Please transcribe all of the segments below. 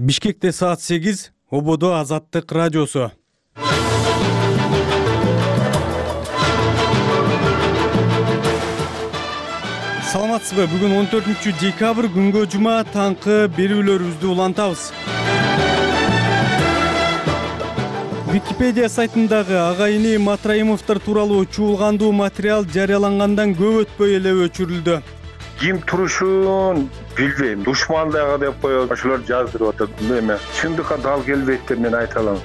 Бишкекте саат 8, Ободо Азаттык радиосу. Саламатсызбы? Бүгүн 14-декабрь күнгө жума таңкы берүүлөрүбүздү улантабыз. Википедия сайтындагы агайыны Матраимовдор тууралуу чуулгандуу материал жарыялангандан көп өтпөй эле өчүрүлдү. Ким турушун билбейм. Душмандага деп коет, ошолор жаздырып атат. Эме чындыкка дал келбейт деп мен айта алам.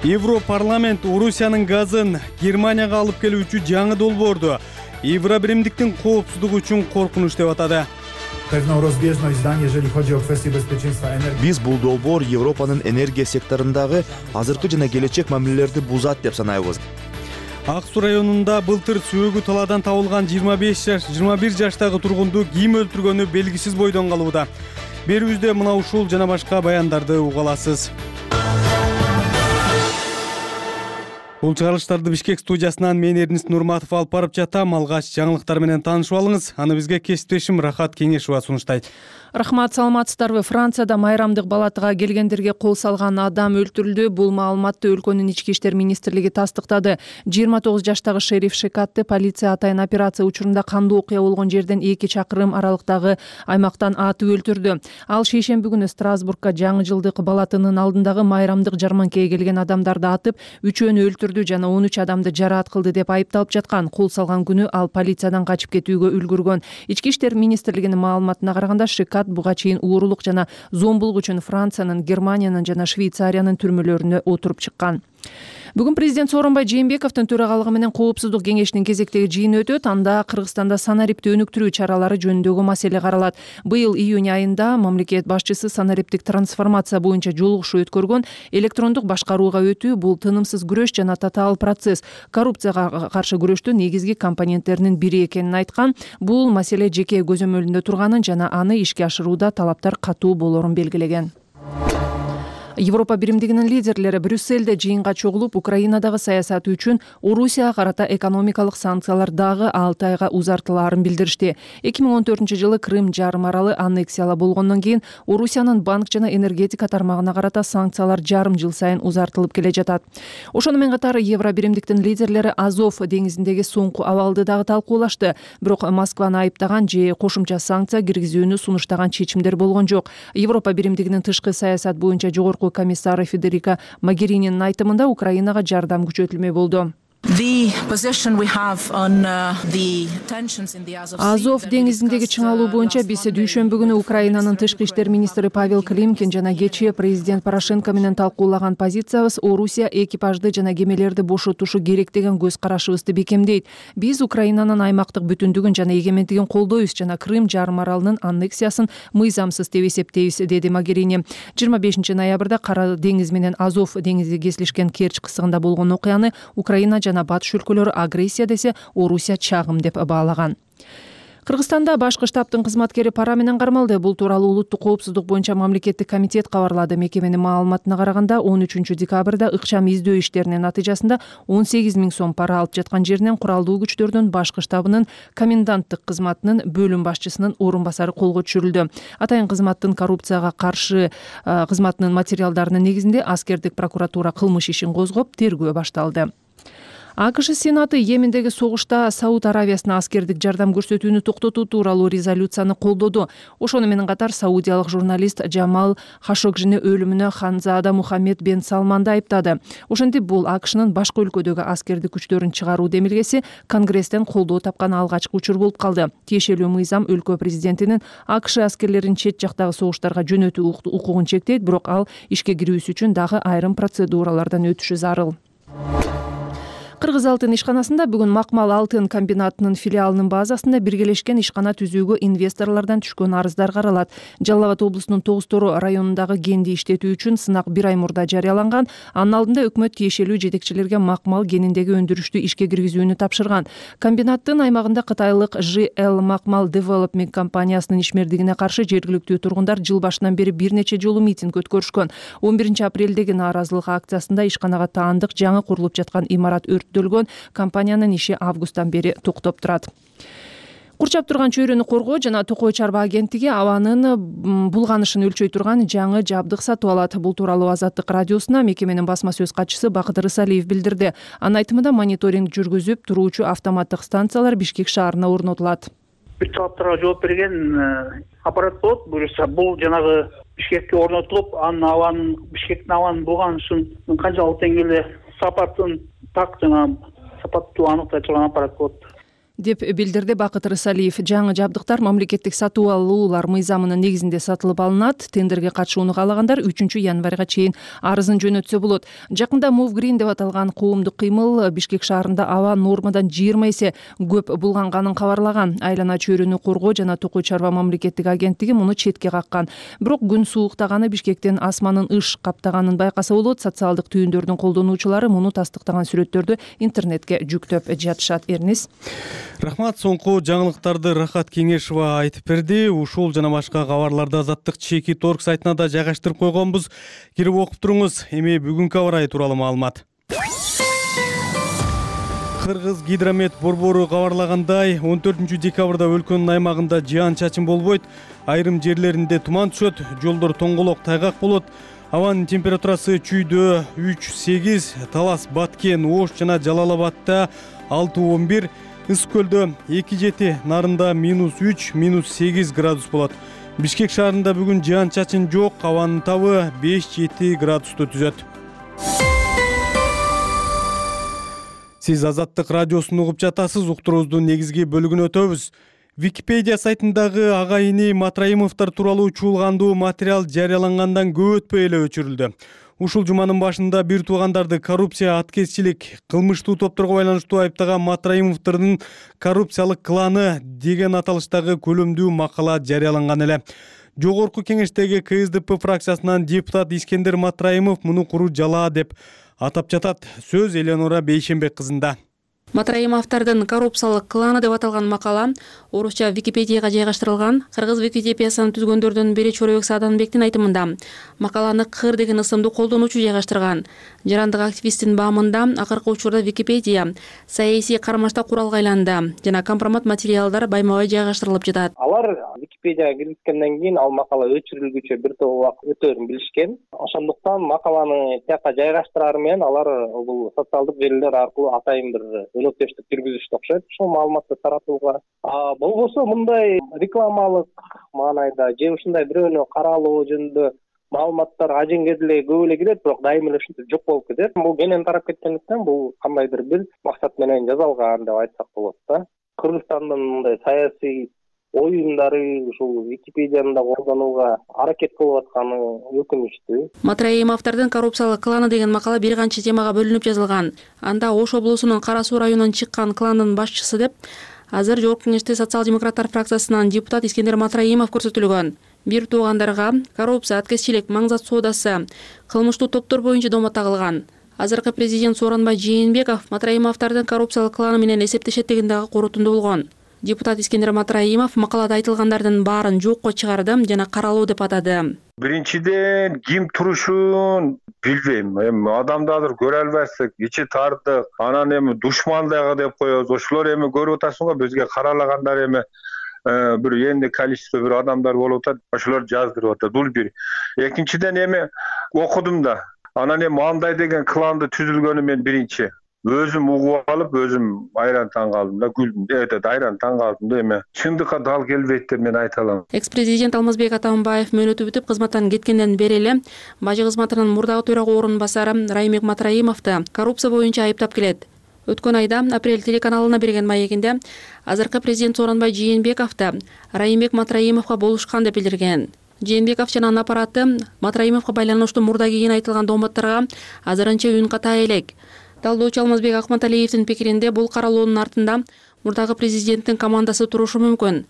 Европарламент Орусиянын газын Германияга алып келүүчү жаңы долбоорду Евробиримдиктин коопсуздугу үчүн коркунуч деп атады. Биз бул долбоор Европанын энергия секторундагы азыркы жана келечек мамилелерди бузат деп санайбыз. Ак Суу районунда былтыр сөөгү талаадан табылган 21 жаштагы тургунду ким өлтүргөнү белгисиз бойдон калууда. Берүүбүздө мына ушул жана башка баяндарды уга аласыз. Бул чыгарылыштарды Бишкек студиясынан мен Эрнист Нурматов алып барып жатам. Алгач жаңылыктар менен таанышып алыңыз. Аны бизге кесиптешим Рахат Кеңешова сунуштайт. Рахмат, саламатсыздарбы? Францияда майрамдык балатыга келгендерге кол салган адам өлтүрүлдү. Бул маалыматты өлкөнүн ички иштер министрлиги тастыктады. 29 жаштагы шериф Шекатты полиция атайын операция учурунда кандуу окуя болгон жерден 2 чакырым аралыктагы аймактан атып өлтүрдү. Ал шейшемби күнү Страсбургка жаңы жылдык балатынын алдындагы майрамдык жарманкеге келген адамдарды атып, 3-өнү өлтүрдү жана 13 адамды жараат кылды деп айыпталып жаткан. Кол салган күнү ал полициядан качып кетүүгө үлгүргөн. Ички иштер министрлигинин маалыматына караганда, Шекат буга чейин уурулук жана зомбулук үчүн Франциянын, Германиянын жана Швейцариянын түрмөлөрүнө отуруп чыккан. Бүгүн президент Сооронбай Жээнбековдун төрагалыгы менен Коопсуздук кеңешинин кезектеги жыйыны өтөт. Анда Кыргызстанда санарипти өнүктүрүү чаралары жөнүндөгү маселе каралат. Быйыл июнь айында мамлекет башчысы санариптик трансформация боюнча жолугушуу өткөргөн. Электрондук башкарууга өтүү — бул тынымсыз күрөш жана татаал процесс. Коррупцияга каршы күрөштүн негизги компоненттеринин бири экенин айткан. Бул маселе жеке көзөмөлүндө турганын жана аны ишке ашырууда талаптар катуу болорун белгилеген. Европа биримдигинин лидерлери Брюссельде жыйынга чогулуп, Украинадагы саясаты үчүн Орусияга карата экономикалык санкциялар дагы 6 айга узартылаарын билдиришти. 2014-жылы Крым жарым аралы аннексияла болгондон кийин Орусиянын банк жана энергетика тармагына карата санкциялар жарым жыл сайын узартылып келе жатат. Ошону менен катар Евро биримдиктин лидерлери Азов деңизиндеги соңку абалды дагы талкуулашты. Бирок Москваны айыптаган же кошумча санкция киргизүүнү сунуштаган чечимдер болгон жок. Европа биримдигинин тышкы саясат боюнча жогорку комиссары Федерика Могерининин айтымында Украинага жардам күчөтүлмөй болду. Азов деңизиндеги чыңалуу боюнча биз дүйшөмбү күнү Украинанын тышкы иштер министри Павел Климкин жана кечээ президент Порошенко менен талкуулаган позициябыз Орусия экипажды жана кемелерди бошотушу керек деген көз карашыбызды бекемдейт. Биз Украинанын аймактык бүтүндүгүн жана эгемендигин колдойбуз жана Крым жарым аралынын аннексиясын мыйзамсыз деп эсептейбиз, деди Могерини. 25 ноябрда Кара деңиз менен Азов деңизи кесилишкен Керчь кысыгында болгон окуяны Украина жана батыш өлкөлөрү агрессия десе, Орусия чагым деп баалаган. Кыргызстанда башкы штабтын кызматкери пара менен кармалды. Бул тууралуу улуттук коопсуздук боюнча мамлекеттик комитет кабарлады. Мекеменин маалыматына караганда, 13-декабрда ыкчам издөө иштеринин натыйжасында 18 000 сом пара алып жаткан жеринен куралдуу күчтөрдүн башкы штабынын коменданттык кызматынын бөлүм башчысынын орун басары колго түшүрүлдү. Атайын кызматтын коррупцияга каршы кызматынын материалдарынын негизинде аскердик прокуратура кылмыш ишин козгоп, тергөө башталды. АКШ Сенаты Йемендеги согушта Сауд Аравиясына аскердик жардам көрсөтүүнү токтотуу тууралуу резолюцияны колдоду. Ошону менен катар саудиялык журналист Джамал Хашогжини өлүмүнө Ханзада Мухаммед бен Салманды айыптады. Ошентип, бул АКШнын башка өлкөдөгү аскердик күчтөрүн чыгаруу демилгеси Конгресстен колдоо тапкан алгачкы учур болуп калды. Тиешелүү мыйзам өлкө президентинин АКШ аскерлерин чет жактагы согуштарга жөнөтүү укугун чектейт, бирок ал ишке кирүүсү үчүн дагы айрым процедуралардан өтүшү зарыл. Кыргыз алтын ишканасында бүгүн Макмал алтын комбинатынын филиалынын базасында биргелешкен ишкана түзүүгө инвесторлордон түшкөн арыздар каралат. Жалал Абад облусунун Тоғыз Тору районундагы кенди иштетүү үчүн сынак 1 ай мурда жарыяланган. Анын алдында өкмөт тиешелүү жетекчилерге Макмал кениндеги өндүрүштү ишке киргизүүнү тапшырган. Комбинаттын аймагында Кытайлык ЖЛ Макмал Development компаниясынын ишмердигине каршы жергиликтүү тургундар жыл башынан бери бир нече жолу митинг өткөрүшкөн. 11 апрелдеги нааразылык акциясында ишканага таандык жаңы курулуп жаткан имарат өрттөлгөн. Компаниянын иши августтан бери токтоп турат. Курчап турган чөйрөнү коргоо жана Токой чарба агенттиги абанын булганышын өлчөй турган жаңы жабдык сатып алат. Бул тууралуу Азаттык радиосуна мекеменин басма сөз катчысы Бакыт Рысалиев билдирди. Анын айтымында мониторинг жүргүзүп туруучу автоматтык станциялар Бишкек шаарына орнотулат. Бүт талаптарга жооп берген аппарат болот. Буюрса бул жанагы Бишкекке орнотулуп, анын Бишкектин абанын булганышын канчалык деңгээлде сапатын сапаттуу аныктай турган аппарат болот деп билдирди Бакыт Рысалиев. Жаңы жабдыктар мамлекеттик сатып алуулар мыйзамынын негизинде сатылып алынат. Тендерге катышууну каалагандар 3 январга чейин арызын жөнөтсө болот. Жакында Move Green деп аталган коомдук кыймыл Бишкек шаарында аба нормадан 20 эсе көп булганганын кабарлаган. Айлана чөйрөнү коргоо жана Токой чарба мамлекеттик агенттиги муну четке каккан. Бирок күн сууктаганы Бишкектен асманын ыш каптаганын байкаса болот. Социалдык түйүндөрдүн колдонуучулары муну тастыктаган сүрөттөрдү интернетке жүктөп жатышат. Эрнис. Рахмат, соңку жаңылыктарды Рахат Кеңешова айтып берди. Ушул жана башка кабарларды Азаттык ЧК.org сайтына да жайгаштырып койгонбуз. Кирип окуп туруңуз. Эми бүгүнкү аба ырайы тууралуу маалымат. Кыргыз гидромет борбору кабарлагандай, 14 декабрда өлкөнүн аймагында жаан-чачын болбойт. Айрым жерлеринде туман түшөт, жолдор тоңголок, тайгак болот. Абанын температурасы чүйдө 3-8, Талас, Баткен, Ош жана Жалал-Абадта 6-11, Ысык көлдө 2-7, Нарында -3, -8 градус болот. Бишкек шаарында бүгүн жаан-чачын жок, абанын табы 5-7 градусту түзөт. Сиз Азаттык радиосун угуп жатасыз. Уктуруубуздун негизги бөлүгүнө өтөбүз. Википедия сайтындагы ага-ини Матраимовдор тууралуу чуулгандуу материал жарыялангандан көп өтпөй эле өчүрүлдү. Ушул жуманын башында бир туугандарды коррупция, аткезчилик, кылмыштуу топторго байланыштуу айыптаган Матраимовдордун коррупциялык кланы деген аталыштагы көлөмдүү макала жарыяланган эле. Жогорку кеңештеги КСДП фракциясынан депутат Искендер Матраимов муну куру жалаа деп атап жатат. Сөз Эленора Бейшенбек кызында. Матраимовдордун коррупциялык кланы деп аталган макала орусча Википедияга жайгаштырылган. Кыргыз Википедиясын түзгөндөрдүн бири Чоройбек Сааданбектин айтымында макаланы Кыр деген ысымды колдонуучу жайгаштырган. Жарандык активисттин баамында акыркы учурда Википедия саясий кармашта куралга айланды жана компромат материалдар байма-бай жайгаштырылып жатат. Алар Википедияга киргизгенден кийин ал макала өчүрүлгүчө бир топ убакыт өтөөрүн билишкен. Ошондуктан макаланы тияка жайгаштыраар менен алар бул социалдык желилер аркылуу атайын бир өнөктөштүк жүргүзүштү окшойт. Ушул маалыматты таратууга болбосо мындай рекламалык маанайда же ушундай бирөөнү каралоо жөнүндө маалыматтар ажеңге деле көп эле кирет, бирок дайыма эле ушинтип жок болуп кетет. Бул кенен тарап кеткендиктен бул кандайдыр бир максат менен жасалган деп айтсак болот да. Кыргызстандын мындай саясий оюндары ушул Википедияны да колдонууга аракет кылып атканы өкүнүчтүү. Матраимовдордун коррупциялык кланы деген макала бир канча темага бөлүнүп жазылган. Анда Ош облусунун Кара Суу районунан чыккан кландын башчысы деп азыр Жогорку кеңеште социал-демократтар фракциясынан депутат Искендер Матраимов көрсөтүлгөн. Бир туугандарга коррупция, аткезчилик, маңзат соодасы, кылмыштуу топтор боюнча доомат тагылган. Азыркы президент Сооронбай Жээнбеков Матраимовдордун коррупциялык кланы менен эсептешет деген дагы корутунду болгон. Депутат Искендер Матраимов макалада айтылгандардын баарын жокко чыгарды жана каралуу деп атады. Биринчиден ким турушун билбейм. Эми адамды азыр көрө албайсың, ичи тардык, анан эми душман дагы деп коебуз. Ошолор эми көрүп атасың го, бизге каралагандар эми бир энди количество бир адамдар болуп атат. Ошолор жаздырып атат. Бул бир. Экинчиден эми окудум да. Анан эми андай деген кланды түзүлгөнү мен биринчи өзүм угуп алып, өзүм айран таң калдым да, күлдүм. Айран таң калдым да, эми чындыкка дал келбейт деп мен айта алам. Экс-президент Алмазбек Атамбаев мөөнөтү бүтүп кызматтан кеткенден бери эле бажы кызматынын мурдагы төрага орун басары Раймбек Матраимовду коррупция боюнча айыптап келет. Өткөн айда Апрель телеканалына берген маегинде азыркы президент Сооронбай Жээнбековду Раймбек Матраимовго болушкан деп билдирген. Жээнбеков жана анын аппараты Матраимовго байланыштуу мурда кийин айтылган дооматтарга азырынча үн ката элек. Талдоочу Алмазбек Акматалиевдин пикиринде бул каралоонун артында мурдагы президенттин командасы турушу мүмкүн.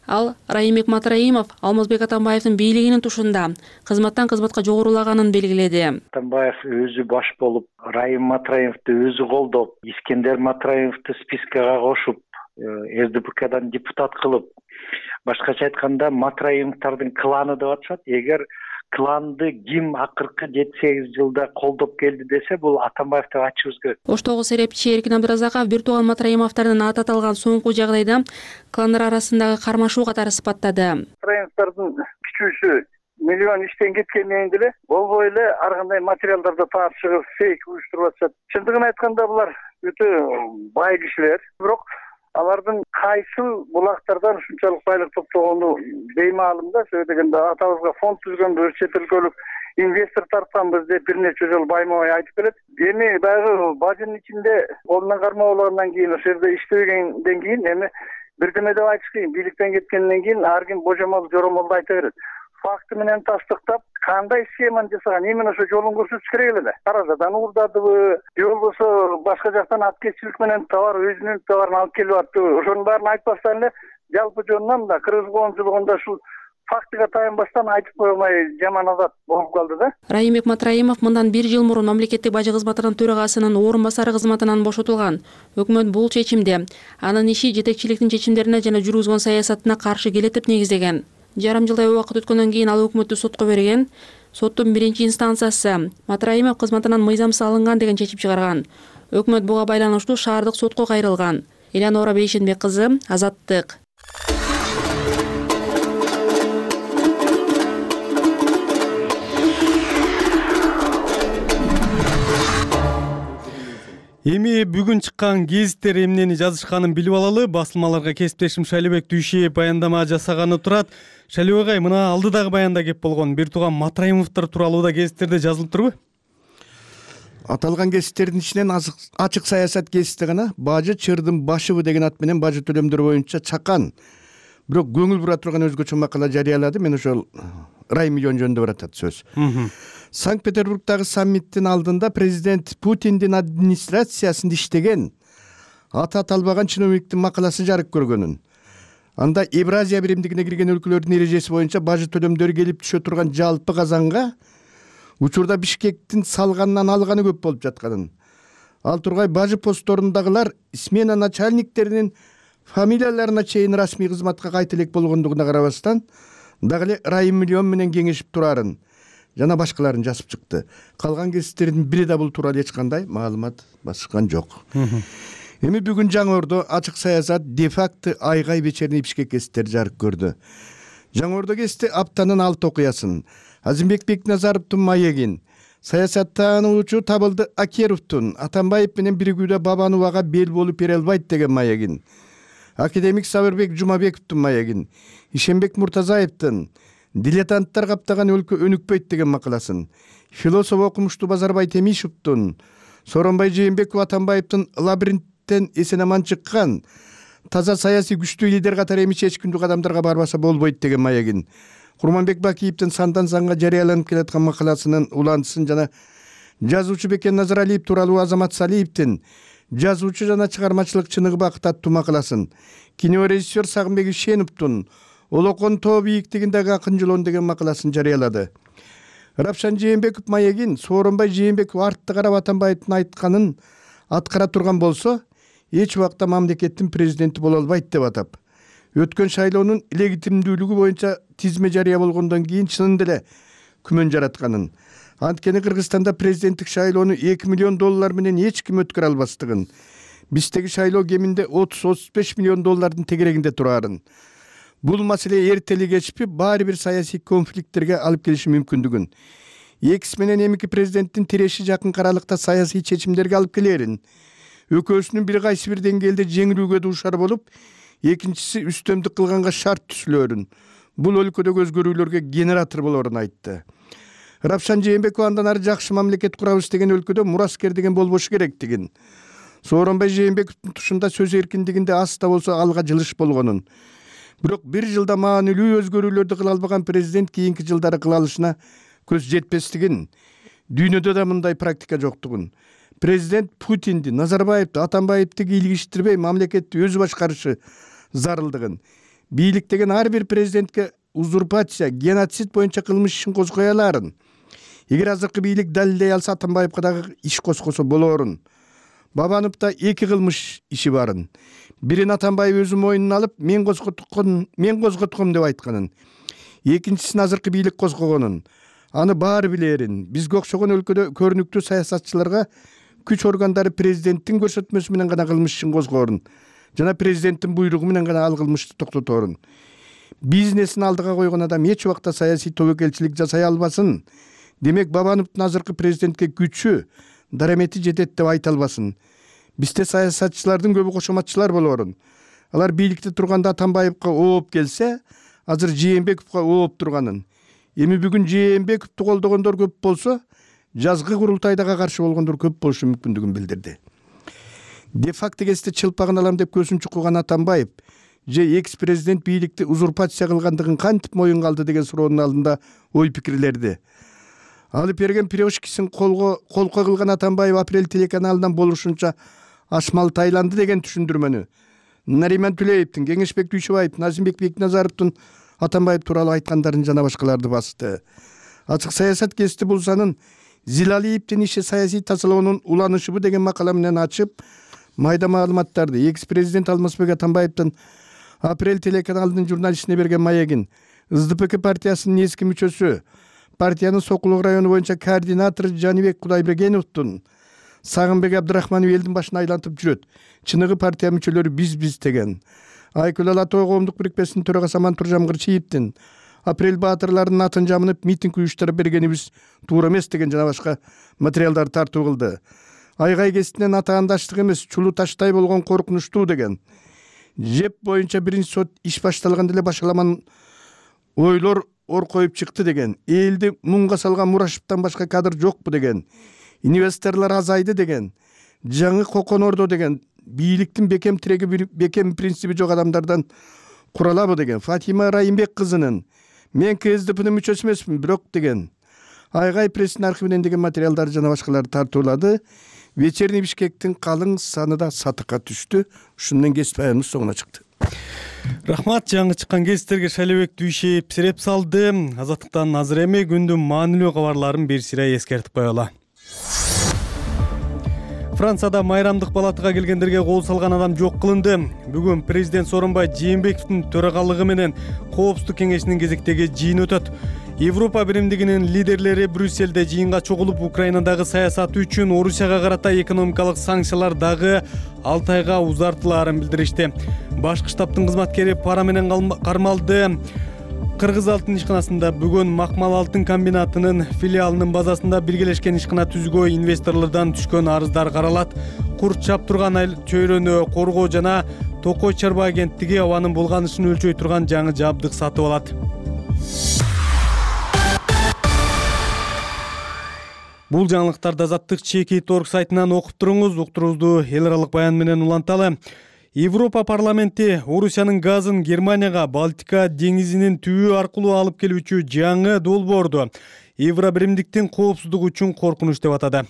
Ал Раймбек Матраимов Алмазбек Атамбаевдин бийлигинин тушунда кызматтан кызматка жогорулаганын белгиледи. Атамбаев өзү баш болуп, Райым Матраимовду өзү колдоп, Искендер Матраимовду спискага кошуп, СДПКдан депутат кылып, башкача айтканда Матраимовдордун кланы деп атышат. Эгер кланды ким акыркы 7-8 жылда колдоп келди десе, бул Атамбаев деп айтышыбыз керек. Оштогу серепчи Эркин Абдыразаков бир тууган Матраимовдордун аты аталган соңку жагдайда кландар арасындагы кармашуу катары сыпаттады. Матраимовдордун күчүүсү миллион иштен кеткенден деле болбой эле ар кандай материалдарды таап чыгып фейк уюштуруп атышат. Чындыгын айтканда булар өтө бай кишилер, бирок алардын кайсы булактардан ушунчалык байлык топтогону беймаалым да. Сөзсүз дегенде атабызга фонд түзгөнбүз, чет өлкөлүк инвестор тартканбыз деп бир нече жолу байма-бай айтып келет. Эми дагы бажынын ичинде колунан кармоо болгондон кийин, ошол жерде иштебегенден кийин эми бирдеме деп айтыш кыйын. Бийликтен кеткенден кийин ар ким божомол жоромолду айта берет. Факты менен тастыктап, кандай схеманы жасаган, именно ошо жолун көрсөтүш керек эле. Каражадан уурдадыбы, же болбосо башка жактан аткезчилик менен товар, өзүнүн товарын алып келип аттыбы, ошонун баарын айтпастан эле жалпы жонунан да кыргыз коомчулугунда ушул фактыга таянбастан айтып кое алмай жаман адат болуп калды да. Райымбек Матраимов мындан 1 жыл мурун мамлекеттик бажы кызматынын төрагасынын орун басары кызматынан бошотулган. Өкмөт бул чечимди анын иши жетекчиликтин чечимдерине жана жүргүзгөн саясатына каршы келет деп негиздеген. Жарым жылдай убакыт өткөндөн кийин ал өкмөттү сотко берген. Соттун 1-инстанциясы Матраимов кызматынан мыйзамсыз алынган деген чечим чыгарган. Өкмөт буга байланыштуу шаардык сотко кайрылган. Элянора Бейшенбек кызы, Азаттык. Эми бүгүн чыккан гезиттер эмнени жазышканын билип алалы. Басылмаларга кесиптешим Шайлебек Дүйшиев баяндама жасаганы турат. Шайлебек агай, мына алдыдагы баянда кеп болгон бир тууган Матраимовдор тууралуу да гезиттерде жазылып турбу? Аталган гезиттердин ичинен ачык саясат гезити гана бажы чырдын башыбы деген ат менен бажы төлөмдөр боюнча чакан, бирок көңүл бура турган өзгөчө макала жарыялады. Мен ошол раймиллион жөнүндө баратат сөз. Санкт-Петербургдагы саммиттин алдында президент Путиндин администрациясында иштеген аты аталбаган чиновниктин макаласы жарык көргөнүн, анда Евразия биримдигине кирген өлкөлөрдүн эрежеси боюнча бажы төлөмдөрү келип түшө турган жалпы казанга учурда Бишкектин салганынан алганы көп болуп жатканын, ал тургай бажы постторундагылар смена начальниктеринин фамилияларына чейин расмий кызматка кайта элек болгондугуна карабастан дагы эле раймиллион менен кеңешип турарын жана башкаларын жазып чыкты. Калган гезиттердин бири да бул тууралуу эч кандай маалымат басышкан жок. Эми бүгүн Жаңы Ордо ачык саясат де-факто айгай вечерний Бишкек гезиттери жарык көрдү. Жаңы Ордо гезити аптанын 6 окуясын, Азимбек Бекназаровдун маегин, саясаттануучу Табылды Акеровдун Атамбаев менен биригүүдө Бабановага бел болуп бере албайт деген маегин, академик Сабырбек Жумабековдун маегин, Ишенбек Муртазаевдин дилетанттар каптаган өлкө өнүкпөйт деген макаласын, философ окумуштуу Базарбай Темишевдин Сооронбай Жээнбеков Атамбаевдин лабиринттен эсен-аман чыккан таза саясий күчтүү лидер катары эми эч күндүк адамдарга барбаса болбойт деген маегин, Курманбек Бакиевдин сандан санга жарыяланып келаткан макаласынын уландысын жана жазуучу Бекен Назаралиев тууралуу Азамат Салиевдин жазуучу жана чыгармачылык чыныгы бакыт аттуу макаласын, кинорежиссер Сагынбек Ишеновдун Олокон тоо бийиктигиндеги акын жолон деген макаласын жарыялады. Рапшан Жээнбеков маегин Сооронбай Жээнбеков артты карап Атамбаевдин айтканын аткара турган болсо, эч убакта мамлекеттин президенти боло албайт деп атап, өткөн шайлоонун легитимдүүлүгү боюнча тизме жарыя болгондон кийин чынында эле күмөн жаратканын, анткени Кыргызстанда президенттик шайлоону $2 миллион менен эч ким өткөрө албастыгын, биздеги шайлоо кеминде $30-35 миллион тегерегинде турарын, бул маселе эртели кечпи баары бир саясий конфликттерге алып келиши мүмкүндүгүн, экиси менен эмики президенттин тиреши жакын аралыкта саясий чечимдерге алып келерин, экөөсүнүн бир кайсы бир деңгээлде жеңилүүгө дуушар болуп, экинчиси үстөмдүк кылганга шарт түзүлөрүн, бул өлкөдөгү өзгөрүүлөргө генератор болорун айтты. Рапшан Жээнбеков андан ары жакшы мамлекет курабыз деген өлкөдө мураскер деген болбошу керектигин, Сооронбай Жээнбековдун тушунда сөз эркиндигинде аз да болсо алга жылыш болгонун, бирок бир жылда маанилүү өзгөрүүлөрдү кыла албаган президент кийинки жылдары кыла алышына көз жетпестигин, дүйнөдө да мындай практика жоктугун, президент Путинди, Назарбаевди, Атамбаевди кийлигиштирбей мамлекетти өзү башкарышы зарылдыгын, бийлик деген ар бир президентке узурпация, геноцид боюнча кылмыш ишин козгой аларын, эгер азыркы бийлик далилдей алса Атамбаевга дагы иш козгосо болорун, Бабановдо 2 кылмыш иши барын, бирин Атамбаев өзү мойнуна алып, мен козготком деп айтканын, экинчисин азыркы бийлик козгогонун, аны баары билерин. Бизге окшогон өлкөдө көрүнүктүү саясатчыларга күч органдары президенттин көрсөтмөсү менен гана кылмыш ишин козгоорун жана президенттин буйругу менен гана ал кылмышты токтоторун. Бизнесин алдыга койгон адам эч убакта саясий тобокелчилик жасай албасын. Демек Бабановдун азыркы президентке күчү, дарамети жетет деп айта албасын. Бизде саясатчылардын көбү кошоматчылар болоорун. Алар бийликте турганда Атамбаевка ооп келсе, азыр Жээнбековго ооп турганын. Эми бүгүн Жээнбековду колдогондор көп болсо, жазгы курултайдага каршы болгондор көп болушу мүмкүндүгүн билдирди. Де факто кесте чылпагын алам деп көзүн чукуган Атамбаев же экс-президент бийликти узурпация кылгандыгын кантип моюнга алды деген суроонун алдында ой пикирлерди. Алып берген пирожкисин колко кылган Атамбаев Апрель телеканалынан болушунча ашмал тайланды деген түшүндүрмөнү Нариман Түлеевдин, Кеңешбек Дүйшөбаев, Назимбек Бекназаровдун Атамбаев тууралуу айткандарын жана башкаларды басты. Ачык саясат гезити бул санын Зилалиевдин иши саясий тазалоонун уланышыбы деген макала менен ачып, майда маалыматтарды экс-президент Алмазбек Атамбаевдин Апрель телеканалынын журналистине берген маегин СДПК партиясынын эски мүчөсү, партиянын Сокулук району боюнча координатору Жаныбек Кудайбергеновдун Сагынбек Абдрахманов элдин башына айлантып жүрөт. Чыныгы партия мүчөлөрү биз деген. Айкүл Алатой коомдук бирикмесинин төрагасы Амантур Жамгырчиевдин Апрель баатырларынын атын жамынып митинг уюштуруп бергенибиз туура эмес деген жана башка материалдар тартуу кылды. Айгай кесинен атаандаштык эмес, чулуу таштай болгон коркунучтуу деген. ЖЭП боюнча биринчи сот иш башталганда эле башаламан ойлор ор коюп чыкты деген. Элди мунга салган Мурашевден башка кадр жокпу деген. Инвесторлор азайды деген. Жаңы коконордо деген. Бийликтин бекем тиреги бекем принципи жок адамдардан куралабы деген. Фатима Райымбек кызынын мен КСДПнын мүчөсү эмесмин, бирок деген. Айгай прессинин архивинен деген материалдар жана башкаларды тартуулады. Вечерний Бишкектин калың саны да сатыкка түштү. Ушун менен кесип аяныбыз соңуна чыкты. Рахмат, жаңы чыккан кесиптерге Шалебек Дүйшөев сиреп салды. Азаттыктан азыр эми күндүн маанилүү кабарларын бир сыйра эскертип коелу. Францияда майрамдык палатага келгендерге кол салган адам жок кылынды. Бүгүн президент Сооронбай Жээнбековдун төрагалыгы менен Коопсуздук кеңешинин кезектеги жыйын өтөт. Европа биримдигинин лидерлери Брюсселде жыйынга чогулуп, Украинадагы саясаты үчүн Орусияга карата экономикалык санкциялар дагы 6 айга узартылаарын билдиришти. Башкы штабтын кызматкери пара менен кармалды. Кыргыз алтын ишканасында бүгүн Макмал алтын комбинатынын филиалынын базасында биргелешкен ишкана түзгөө инвесторлордон түшкөн арыздар каралат. Курт чаптырган чөйрөнү коргоо жана Токой чарба агенттиги абанын булганышын өлчөй турган жаңы жабдык сатып алат. Бул жаңылыктарды Азаттык Чеки.org сайтынан окуп туруңуз. Уктуруубузду эл аралык баян менен уланталы. Европа парламенти Орусиянын газын Германияга Балтика деңизинин түбү аркылуу алып келүүчү жаңы долбоорду Евробиримдиктин коопсуздугу үчүн коркунуч деп атады.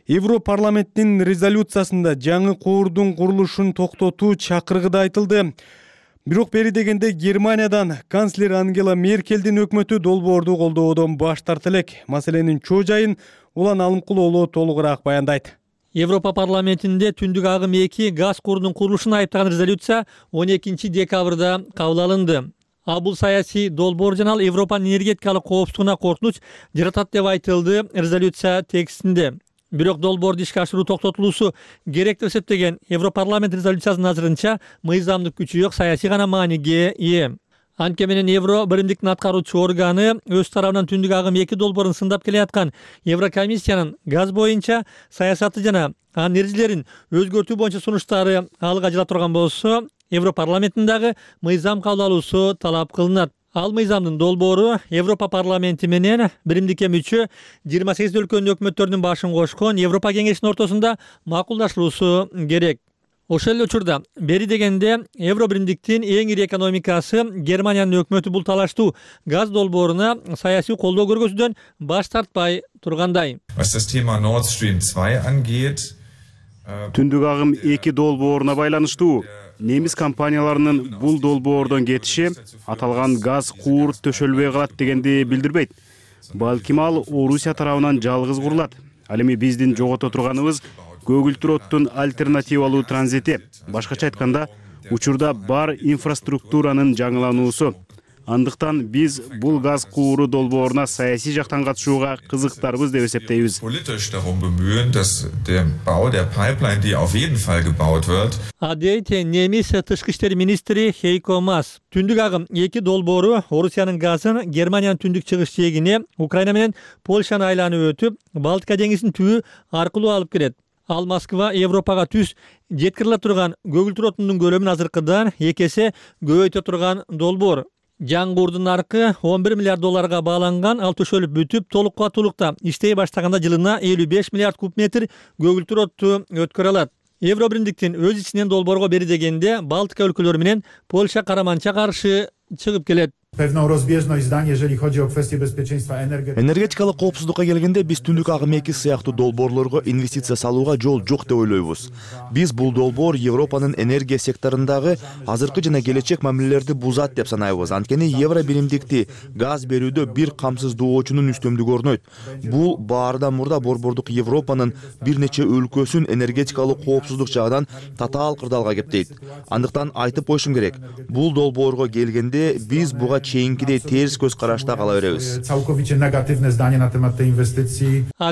Европарламенттин резолюциясында жаңы коордун курулушун токтотуу чакырыгы да айтылды. Бирок бери дегенде Германиядан канцлер Ангела Меркелдин өкмөтү долбоорду колдоодон баш тарта элек. Маселенин чоо жайын Улан Алымкул уулу толугураак баяндайт. Европа парламентинде түндүк агым 2 газ курунун курулушуна айыптаган резолюция 12 декабрда кабыл алынды. Бул саясий долбоор жана Европанын энергетикалык коопсуздугуна коркунуч жаратат деп айтылды резолюция текстинде. Бирок долбоорду ишке ашыруу токтотулуусу керек деп эсептеген Европарламент резолюциясынын азырынча мыйзамдык күчү жок, саясий гана мааниге ээ. Анткени менен Евро биримдиктин аткаруучу органы өз тарабынан түндүк агым 2 долбоорун сындап келе аткан Еврокомиссиянын газ боюнча саясаты жана анын эрежелерин өзгөртүү боюнча сунуштары алга жыла турган болсо, Европарламенттин дагы мыйзам кабыл алуусу талап кылынат. Ал мыйзамдын долбоору Европа парламенти менен биримдикке мүчө 28 өлкөнүн өкмөттөрүнүн башын кошкон Европа кеңешинин ортосунда макулдашылуусу керек. Ошол эле учурда бери дегенде Евробиримдиктин эң ири экономикасы Германиянын өкмөтү бул талаштуу газ долбооруна саясий колдоо көргөзүүдөн баш тартпай тургандай. Түндүк агым 2 долбооруна байланыштуу немис компанияларынын бул долбоордон кетиши аталган газ куурт төшөлбөй калат дегенди билдирбейт. Балким ал Орусия тарабынан жалгыз курулат. Ал эми биздин жогото турганыбыз көгүлтүр оттун альтернативалуу транзити. Башкача айтканда, учурда бар инфраструктуранын жаңылануусу. Андыктан биз бул газ кууру долбооруна саясий жактан катышууга кызыктарбыз деп эсептейбиз. Дейт немис тышкы иштер министри Хейко Мас. Түндүк агым 2 долбоору Орусиянын газын Германиянын түндүк чыгыш жээгине, Украина менен Польшаны айланып өтүп, Балтика деңизинин түбү аркылуу алып келет. Ал Москва Европага түз жеткириле турган көгүлтүр отундун көлөмүн азыркыдан 2 эсе көбөйтө турган долбоор. Жаңгуурдун наркы 11 миллиард долларга бааланган, ал төшөлүп бүтүп, толук кубаттуулукта иштей баштаганда жылына 55 миллиард куб метр көгүлтүр отту өткөрө алат. Евробиримдиктин өз ичинен долбоорго бери дегенде Балтика өлкөлөрү менен Польша караманча каршы чыгып келет. Энергетикалык коопсуздукка келгенде биз түндүк агым 2 сыяктуу долбоорлорго инвестиция салууга жол жок деп ойлойбуз. Биз бул долбоор Европанын энергия секторундагы азыркы жана келечек мамилелерди бузат деп санайбыз. Анткени евробиримдикти газ берүүдө бир камсыздоочунун үстөмдүгү орнойт. Бул баардан мурда борбордук Европанын бир нече өлкөсүн энергетикалык коопсуздук жагынан татаал кырдаалга кептейт. Андыктан айтып коюшум керек. Бул долбоорго келгенде биз буга чейинкидей терс көз карашта кала беребиз.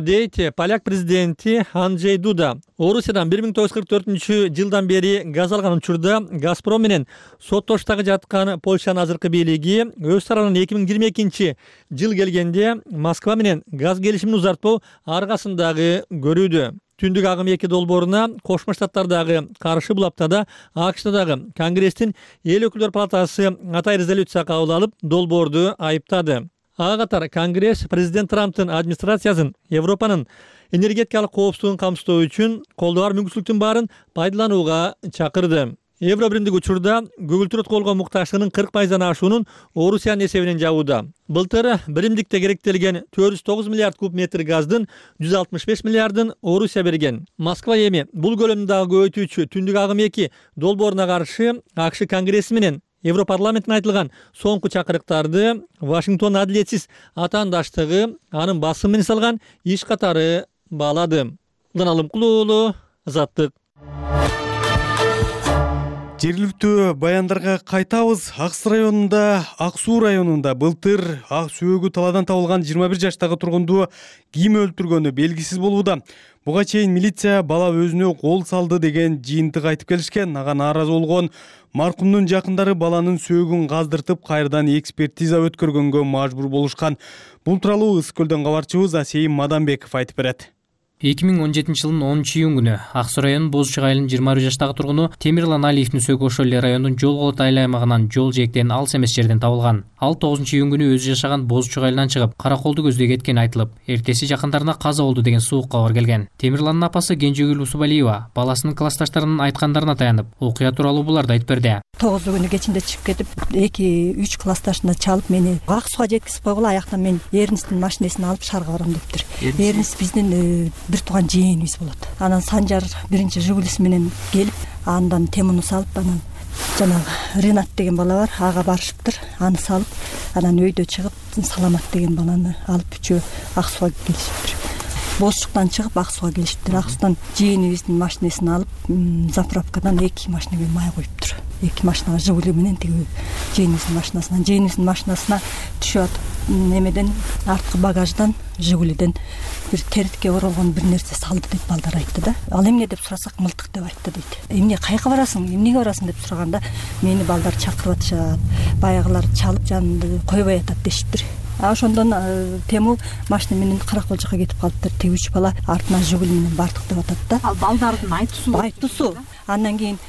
Дейт поляк президенти Анджей Дуда. Орусиядан 1944-жылдан бери газ алган учурда Газпром менен соттоштагы жаткан Польшанын азыркы бийлиги өз тарабынан 2022 жыл келгенде Москва менен газ келишимин узартпоо аркасындагы көрүүдө. Түндүк агым 2 долбооруна Кошмо Штаттардагы каршы бул аптада АКШдагы Конгресстин эл өкүлдөр палатасы атай резолюция кабыл алып, долбоорду айыптады. Ага катар Конгресс президент Трамптын администрациясын Европанын энергетикалык коопсуздугун камсыздоо үчүн колдоо бар мүмкүнчүлүктүн баарын пайдаланууга чакырды. Евробиримдик учурда көгүлтүр колго муктажчылыгынын 40%-дан ашуунун Орусиянын эсебинен жабууда. Былтыр биримдикте керектелген 409 миллиард куб метр газдын 165 миллиардын Орусия берген. Москва эми бул көлөмдү дагы көбөйтүүчү түндүк агым 2 долбооруна каршы АКШ Конгресси менен Европарламенттин айтылган соңку чакырыктарды Вашингтон адилетсиз атаандаштыгы анын басым менен салган иш катары баалады. Алым Кулуулу, Азаттык. Жергиликтүү баяндарга кайтабыз. Акс районунда, Ак Суу районунда былтыр ак сөөгү талаадан табылган 21 жаштагы тургунду ким өлтүргөнү белгисиз болууда. Буга чейин милиция бала өзүнө кол салды деген жыйынтык айтып келишкен. Ага нааразы болгон маркумдун жакындары баланын сөөгүн газдыртып, кайрадан экспертиза өткөргөнгө мажбур болушкан. Бул тууралуу Ысык Көлдөн кабарчыбыз Асейим Мадамбеков айтып берет. 2017-жылдын 10-июнь күнү Ак Суу районунун Бозчук айылынын 23 жаштагы тургуну Темирлан Алиевдин сөөгү ошол эле райондун жол болот айыл аймагынан жол жээктен алыс эмес жерден табылган. Ал 9-июнь күнү өзү жашаган Бозчук айылынан чыгып, Караколду көздөй кеткени айтылып, эртеси жакындарына каза болду деген суук кабар келген. Темирландын апасы Кенжегүл Усубалиева баласынын классташтарынын айткандарына таянып, окуя тууралуу буларды айтып берди. 9-күнү кечинде чыгып кетип, 2-3 классташына чалып мени Ак Сууга жеткизип койгула, аяктан мен Эрнисттин машинесин алып шаарга барам дептир. Эрнис биздин бир тууган жээнибиз болот. Анан Санжар биринчи Жигулиси менен келип, андан темуну салып, анан жанагы Ренат деген бала бар, ага барышыптыр. Аны салып, анан өйдө чыгып, Саламат деген баланы алып үчөө Ак Сууга келишиптир. Бозчуктан чыгып Ак Сууга келишиптир. Ак Суудан жээнибиздин машинесин алып, заправкадан 2 машинеге май коюптур. 2 машинага Жигули менен тиги жээнибиздин машинасына түшүп атып, немеден арткы багаждан Жигулиден бир теритке оролгон бир нерсе салды деп балдар айтты да. Ал эмне деп сурасак, мылтык деп айтты дейт. Эмне, кайка барасың, эмнеге барасың деп сураганда, мени балдар чакырып атышат, баягылар чалып жанымды койбой атат дешиптир. Ошондон Тему машина менен Каракол жака кетип калыптыр. Тиги 3 бала артынан Жигули менен бардык деп атат да. Ал балдардын айтуусу. Андан кийин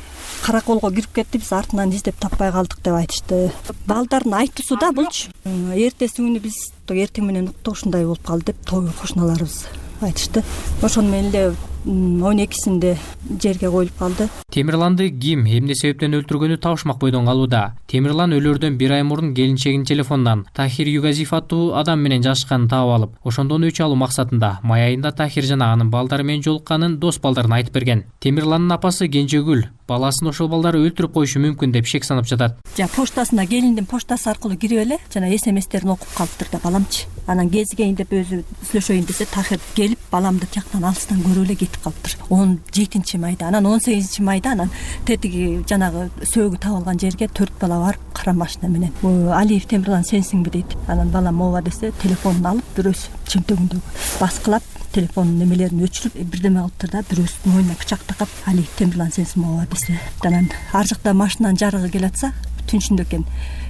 Караколго кирип кетти, биз артынан издеп таппай калдык деп айтышты. Балдардын айтуусу да булчу. Эртеси күнү биз эртең менен уктук, ушундай болуп калды деп кошуналарыбыз айтышты. Ошону менен эле 12-синде жерге коюлуп калды. Темирланды ким эмне себептен өлтүргөнү табышмак бойдон калууда. Темирлан өлөрдөн 1 ай мурун келинчегинин телефонунан Тахир Югазиев аттуу адам менен жашашканын таап алып, ошондон өч алуу максатында май айында Тахир жана анын балдары менен жолукканын дос балдарына айтып берген. Темирландын апасы Кенжегүл баласын ошол балдары өлтүрүп коюшу мүмкүн деп шек санап жатат. Поштасына, келиндин поштасы аркылуу кирип эле жана СМСтерин окуп калыптыр да баламчы. Анан кезигейин деп өзү сүйлөшөйүн десе, Тахир келип баламды тияктан алыстан көрүп эле кетти жетип калыптыр. 17-майда, анан 18-майда анан тетиги жанагы сөөгү табылган жерге 4 бала барып кара машина менен Алиев Темирлан сенсиңби дейт. Анан балам ооба десе телефонун алып бирөөсү чөнтөгүндөгү баскылап телефонун немелерин өчүрүп бирдеме кылыптыр да бирөөсү мойнуна пычак такап Алиев Темирлан сенсиңби ооба десе. Анан ар жакта машинанын жарыгы келатса түншүндө экен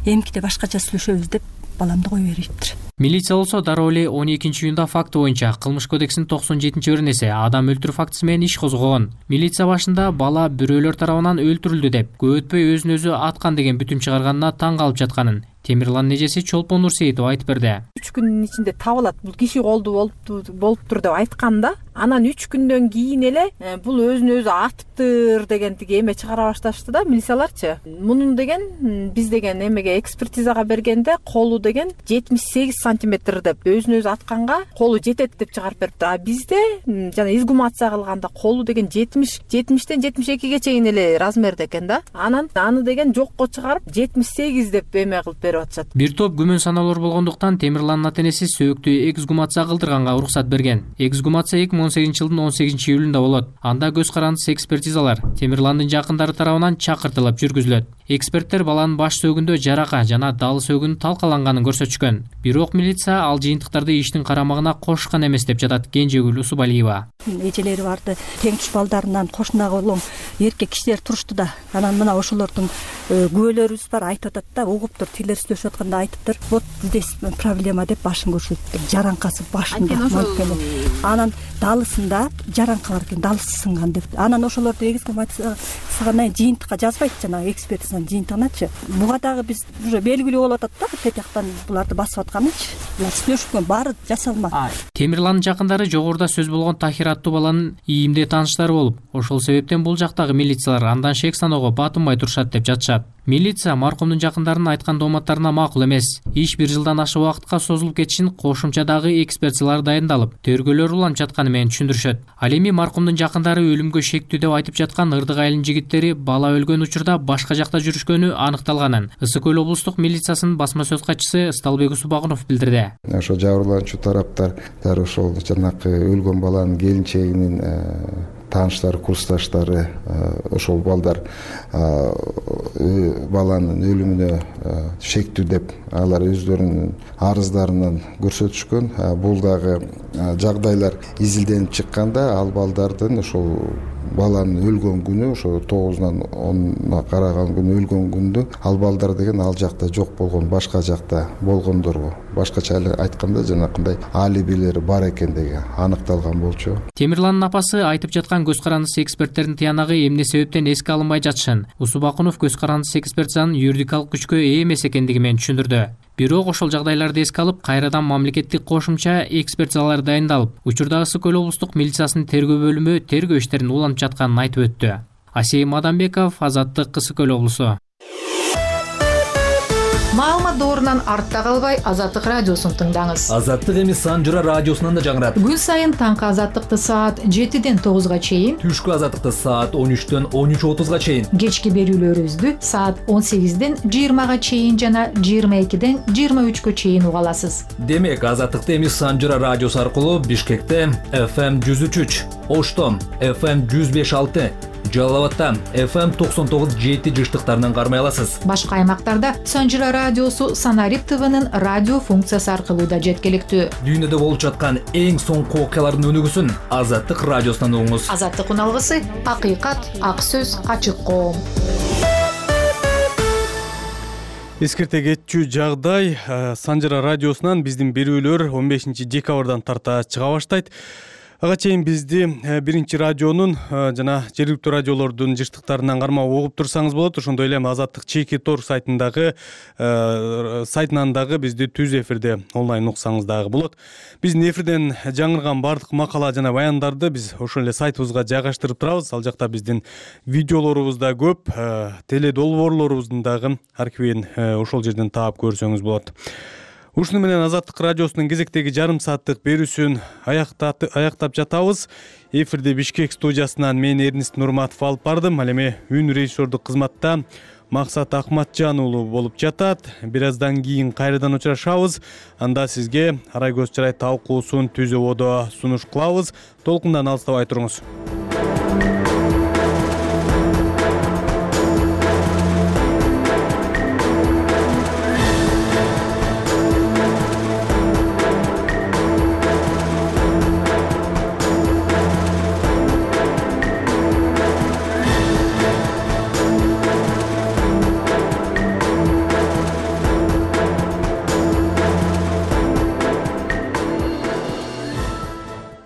эмкиде башкача сүйлөшөбүз деп баламды кое бериптир. Милиция болсо дароо эле 12-июнда факты боюнча Кылмыш кодексинин 97-беренеси адам өлтүрүү фактысы менен иш козгогон. Милиция башында бала бирөөлөр тарабынан өлтүрүлдү деп, көп өтпөй өзүн өзү аткан деген бүтүм чыгарганына таң калып жатканын Темирландын эжеси Чолпон Нурсейитова айтып берди. 3 күндүн ичинде табылат, бул киши колду болуптур деп айткан да. Анан 3 күндөн кийин эле бул өзүн өзү атыптыр деген тиги эме чыгара башташты да милицияларчы. Мунун деген биз деген эмеге экспертизага бергенде колу деген 78 сантиметр деп өзүн өзү атканга колу жетет деп чыгарып берипти. А бизде жана изгумация кылганда колу деген 70-тен 72ге чейин эле размерде экен да. Анан аны деген жокко чыгарып 78 деп эме кылып берип атышат. Бир топ күмөн саноолор болгондуктан Темирландын ата-энеси сөөктү эксгумация кылдырганга уруксат берген. Эксгумация 2018-жылдын 18-июлунда болот. Анда көз карандысыз экспертизалар Темирландын жакындары тарабынан чакыртылып жүргүзүлөт. Эксперттер баланын баш сөөгүндө жарака жана дал сөөгүнүн талкаланганын көрсөтүшкөн. Бирок милиция ал жыйынтыктарды иштин карамагына кошкан эмес деп жатат Кенжегүл Усубалиева. Эжелери барды, тең туш балдарынан кошунага улам эркек кишилер турушту да. Анан мына ошолордун күбөлөрүбүз бар, айтып атат да, угуптур, тилер сүйлөшүп атканда айтыптыр. Вот здесь проблема деп башын көрсөттү. Жаранкасы башында. Анан далысында жаранка бар экен, далысы сынган деп. Анан ошолорду эксгумацияга жыйынтыкка жазбайт жанагы экспертизанын жыйынтыгыначы. Буга дагы биз уже белгилүү болуп атат да, тетияктан буларды басып атканычы. Булар сүйлөшкөн баары жасалма. Темирландын жакындары жогоруда сөз болгон Тахир аттуу баланын ийимде тааныштары болуп, ошол себептен бул жактагы милициялар андан шек саноого батынбай турушат деп жатышат. Милиция маркумдун жакындарынын айткан дооматтарына макул эмес. Иш 1 жылдан ашык убакытка созулуп кетишин кошумча дагы экспертизалар дайындалып, тергөөлөр уланып жатканы менен түшүндүрүшөт. Ал эми маркумдун жакындары өлүмгө шектүү деп айтып жаткан Ырдык айылынын жигиттери бала өлгөн учурда башка жакта жүрүшкөнү аныкталганын Ысык көл облустук милициясынын басма сөз катчысы Ысталбек Усубагунов билдирди. Ошо жабырлануучу тараптар дары ошол жанакы өлгөн баланын келинчегинин тааныштары, курсташтары ошол балдар баланын өлүмүнө шектүү деп алар өздөрүнүн арыздарынан көрсөтүшкөн. Бул дагы жагдайлар изилденип чыкканда ал балдардын ошол баланын өлгөн күнү, ошо 9-нан 10-на караган күнү өлгөн күндө ал балдар деген ал жакта жок болгон, башка жакта болгондорго, башкача айтканда жанакындай алибилери бар экендиги аныкталган болчу. Темирландын апасы айтып жаткан көз карандысыз эксперттердин тыянагы эмне себептен эске алынбай жатышын Усубакунов көз карандысыз экспертизанын юридикалык күчкө ээ эмес экендиги менен түшүндүрдү. Бирок ошол жагдайларды эске алып, кайрадан мамлекеттик кошумча экспертизалар дайындалып, учурда Ысык көл облустук милициясынын тергөө бөлүмү тергөө иштерин улантып жатканын айтып өттү. Асейим Адамбеков, Азаттык, Ысык көл облусу. Маалымат доорунан артта калбай Азаттык радиосун тыңдаңыз. Азаттык эми Санжыра радиосунан да жаңырат. Күн сайын таңкы Азаттыкты саат 7-ден 9-га чейин, түшкү Азаттыкты саат 13-төн 13:30-га чейин, кечки берүүлөрүбүздү саат 18-ден 20-га чейин жана 22-ден 23-кө чейин уга аласыз. Демек, Азаттыкты эми Санжыра радиосу аркылуу Бишкекте FM 103, Ошто FM 105.6, Жалал-Абадта FM 99.7 жыштыктарынан кармай аласыз. Башка аймактарда Санжыра радиосу Санарип ТВнын радио функциясы аркылуу да жеткиликтүү. Дүйнөдө болуп жаткан эң соңку окуялардын өнүгүүсүн Азаттык радиосунан угуңуз. Азаттык уналгысы акыйкат, ак сөз, ачык коом. Эскерте кетчү жагдай Санжыра радиосунан биздин берүүлөр 15-декабрдан тарта чыга баштайт. Ага чейин бизди биринчи радионун жана жергиликтүү радиолордун жыштыктарынан кармап угуп турсаңыз болот. Ошондой эле Азаттык чеки тор сайтынан дагы бизди түз эфирде онлайн уксаңыз дагы болот. Биздин эфирден жаңырган бардык макала жана баяндарды биз ошол эле сайтыбызга жайгаштырып турабыз. Ал жакта биздин видеолорубуз да көп, теле долбоорлорубуздун дагы архивин ошол жерден таап көрсөңүз болот. Ушуну менен Азаттык радиосунун кезектеги жарым сааттык берүүсүн аяктап жатабыз. Эфирде Бишкек студиясынан мен Эрнист Нурматов алып бардым. Ал эми үн режиссердук кызматта Максат Акматжан уулу болуп жатат. Бир аздан кийин кайрадан учурашабыз. Анда сизге Арай көз чырай талкуусун түз ободо сунуш кылабыз. Толкундан алыстабай туруңуз.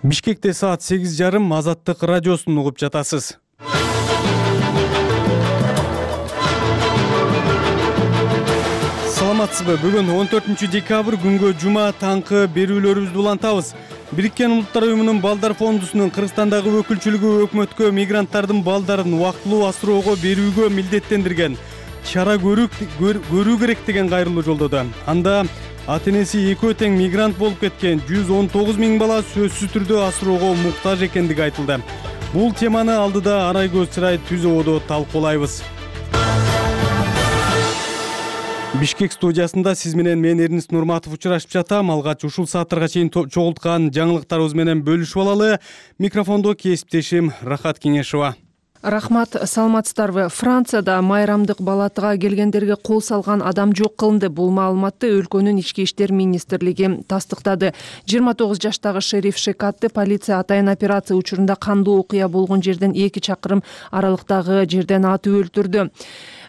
Бишкекте саат 8:30 Азаттык радиосун угуп жатасыз. Саламатсызбы? Бүгүн 14 декабрь күнгө жума таңкы берүүлөрүбүздү улантабыз. Бириккен Улуттар уюмунун балдар фондусунун Кыргызстандагы өкүлчүлүгү өкмөткө мигранттардын балдарын убактылуу асыроого берүүгө милдеттендирген чара көрүү керек деген кайрылуу жолдоду. Анда ата-энеси экөө тең мигрант болуп кеткен 119 000 бала сөзсүз түрдө асыроого муктаж экендиги айтылды. Бул теманы алдыда Арай көз чырай түз ободо талкуулайбыз. Бишкек студиясында сиз менен мен Эрнис Нурматов учурашып жатам. Алгач ушул сааттарга чейин чогулткан жаңылыктарыбыз менен бөлүшүп алалы. Микрофондо кесиптешим Рахат Кеңешова. Рахмат, саламатсыздарбы? Францияда майрамдык балатыга келгендерге кол салган адам жок кылынды. Бул маалыматты өлкөнүн ички иштер министрлиги тастыктады. 29 жаштагы шериф Шекатты полиция атайын операция учурунда кандуу окуя болгон жерден 2 чакырым аралыктагы жерден атып өлтүрдү.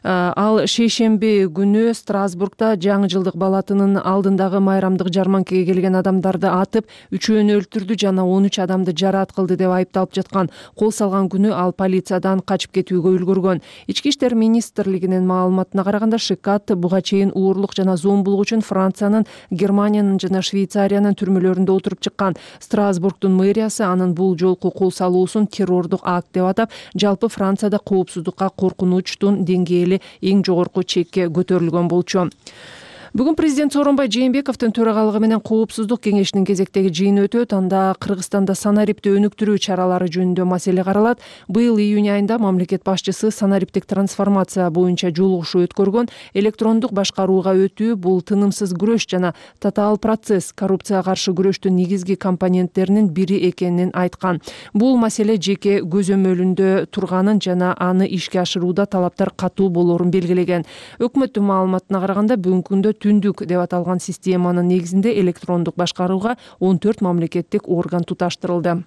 Ал шейшемби күнү Страсбургда жаңы жылдык балатынын алдындагы майрамдык жарманкеге келген адамдарды атып, 3-өөнү өлтүрдү жана 13 адамды жараат кылды деп айыпталып жаткан. Кол салган күнү ал полициядан качып кетүүгө үлгүргөн. Ички иштер министрлигинин маалыматына караганда, Шекат буга чейин уурлук жана зомбулук үчүн Франциянын, Германиянын жана Швейцариянын түрмөлөрүндө отуруп чыккан. Страсбургдун мэриясы анын бул жолку кол салуусун террордук акт деп атап, жалпы Францияда коопсуздукка коркунучтун деңгээли эң жогорку чекке көтөрүлгөн болчу. Бүгүн президент Сооронбай Жээнбековдун төрагалыгы менен коопсуздук кеңешинин кезектеги жыйыны өтөт. Анда Кыргызстанда санарипти өнүктүрүү чаралары жөнүндө маселе каралат. Быйыл июнь айында мамлекет башчысы санариптик трансформация боюнча жолугушуу өткөргөн. Электрондук башкарууга өтүү бул тынымсыз күрөш жана татаал процесс, коррупцияга каршы күрөштүн негизги компоненттеринин бири экенин айткан. Бул маселе жеке көзөмөлүндө турганын жана аны ишке ашырууда талаптар катуу болорун белгилеген. Өкмөттүн маалыматына караганда бүгүнкү күндө түндүк деп аталган системанын негизинде электрондук башкарууга 14 мамлекеттик орган туташтырылды.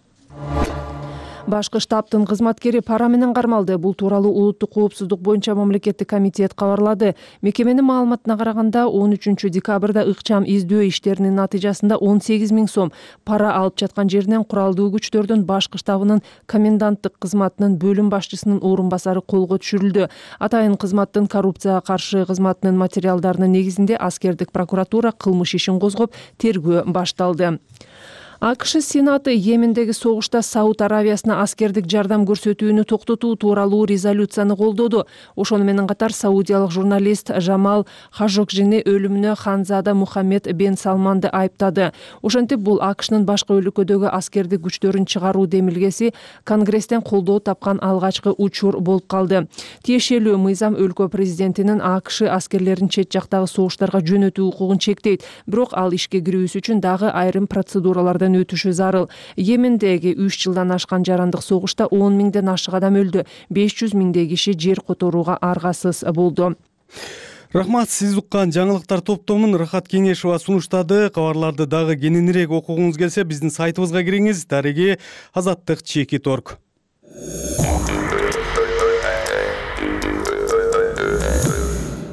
Башкы штабтын кызматкери пара менен кармалды. Бул тууралуу улуттук коопсуздук боюнча мамлекеттик комитет кабарлады. Мекеменин маалыматына караганда 13 декабрда ыкчам издөө иштеринин натыйжасында 18 000 сом пара алып жаткан жеринен куралдуу күчтөрдүн башкы штабынын коменданттык кызматынын бөлүм башчысынын орун басары колго түшүрүлдү. Атайын кызматтын коррупцияга каршы кызматынын материалдарынын негизинде аскердик прокуратура кылмыш ишин козгоп, тергөө башталды. АКШ Сенаты Йемендеги согушта Сауд Аравиясына аскердик жардам көрсөтүүнү токтотуу тууралуу резолюцияны колдоду. Ошону менен катар саудиялык журналист Жамал Хажокжини өлүмүнө Ханзада Мухаммед бен Салманды айыптады. Ошентип бул АКШнын башка өлкөдөгү аскердик күчтөрүн чыгаруу демилгеси Конгресстен колдоо тапкан алгачкы учур болуп калды. Тиешелүү мыйзам өлкө президентинин АКШ аскерлерин чет жактагы согуштарга жөнөтүү укугун чектейт. Бирок ал ишке кирүүсү үчүн дагы айрым процедуралардан өтүшү зарыл. Йемендеги 3 жылдан ашкан жарандык согушта 10 000ден ашык адам өлдү. 500 000 киши жер которууга аргасыз болду. Рахмат, сиз уккан жаңылыктар топтомун Рахат Кеңешова сунуштады. Кабарларды дагы кененирээк окугуңуз келсе, биздин сайтыбызга кириңиз. Дареги azаттык.org.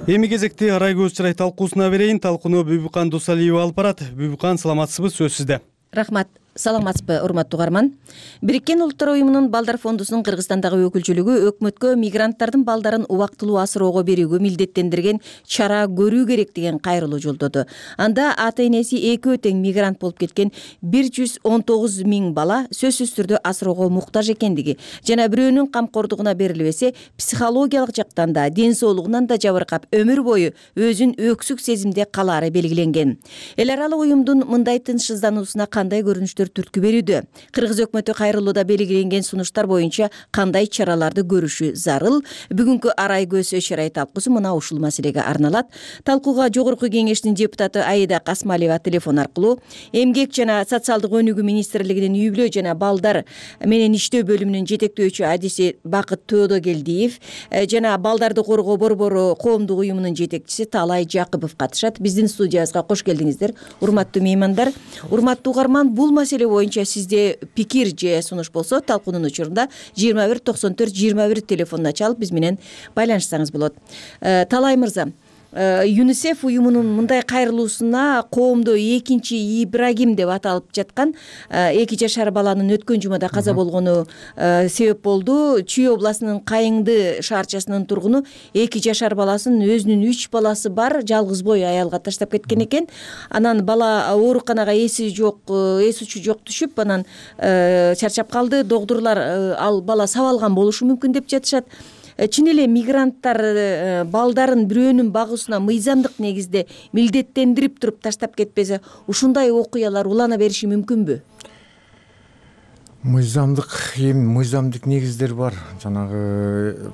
Эми кезекти Арай көз чырай талкуусуна берейин. Талкууну Бүбүкан Дусалиева алып барат. Бүбүкан, саламатсызбы? Сөз сизде. Рахмат. Саламатсызбы, урматтуу угарман. Бириккен Улуттар уюмунун балдар фондусунун Кыргызстандагы өкүлчүлүгү өкмөткө мигранттардын балдарын убактылуу асыроого берүүгө милдеттендирген чара көрүү керек деген кайрылуу жолдоду. Анда ата-энеси экөө тең мигрант болуп кеткен 119 000 бала сөзсүз түрдө асыроого муктаж экендиги жана бирөөнүн камкордугуна берилбесе психологиялык жактан да, ден соолугунан да жабыркап өмүр бою өзүн өксүк сезимде калаары белгиленген. Эл аралык уюмдун мындай тынчсыздануусуна кандай көрүнүштөр өкмөттөр түрткү берүүдө. Кыргыз өкмөтү кайрылууда белгиленген сунуштар боюнча кандай чараларды көрүшү зарыл? Бүгүнкү арай көз чарай талкуусу мына ушул маселеге арналат. Талкууга Жогорку Кеңештин депутаты Аида Касмалиева телефон аркылуу, Эмгек жана социалдык өнүгүү министрлигинин үй-бүлө жана балдар менен иштөө бөлүмүнүн жетектөөчү адиси Бакыт Тоодогелдиев жана балдарды коргоо борбору коомдук уюмунун жетекчиси Талай Жакыпов катышат. Биздин студиябызга кош келдиңиздер, урматтуу меймандар. Урматтуу угарман, бул маселе боюнча сизде пикир же сунуш болсо талкуунун учурунда 21 94 21 телефонуна чалып биз менен байланышсаңыз болот. Талай мырза, ЮНИСЕФ уюмунун мындай кайрылуусуна коомдо экинчи Ибрагим деп аталып жаткан 2 жашар баланын өткөн жумада каза болгону себеп болду. Чүй областынын Кайыңды шаарчасынын тургуну 2 жашар баласын өзүнүн 3 баласы бар жалгыз бой аялга таштап кеткен экен. Анан бала ооруканага эси учу жок түшүп, анан чарчап калды. Доктурлар ал бала сабалган болушу мүмкүн деп жатышат. Чын эле мигранттар балдарын бирөөнүн багуусуна мыйзамдык негизде милдеттендирип туруп таштап кетпесе, ушундай окуялар улана бериши мүмкүнбү? Мыйзамдык негиздер бар. Жанагы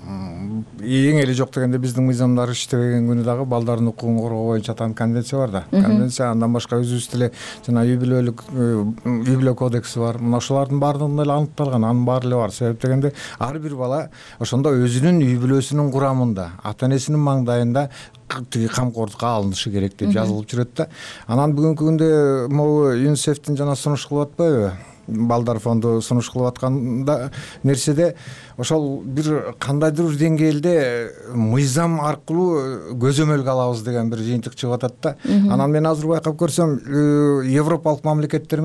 эң эле жок дегенде биздин мыйзамдар иштебеген күнү дагы балдардын укугун коргоо боюнча конвенция бар да. Конвенция, андан башка өзүбүз деле жана үй-бүлө кодекси бар. Мына ошолордун баардыгында эле аныкталган, анын баары эле бар. Себеп дегенде ар бир бала ошондо өзүнүн үй-бүлөсүнүн курамында, ата-энесинин маңдайында камкордукка алынышы керек деп жазылып жүрөт да. Анан бүгүнкү күндө могу ЮНИСЕФтин жана сунуш кылып атпайбы? Балдар фонду сунуш кылып атканда нерседе ошол бир кандайдыр бир деңгээлде мыйзам аркылуу көзөмөлгө алабыз деген бир жыйынтык чыгып атат да. Анан мен азыр байкап көрсөм, европалык мамлекеттер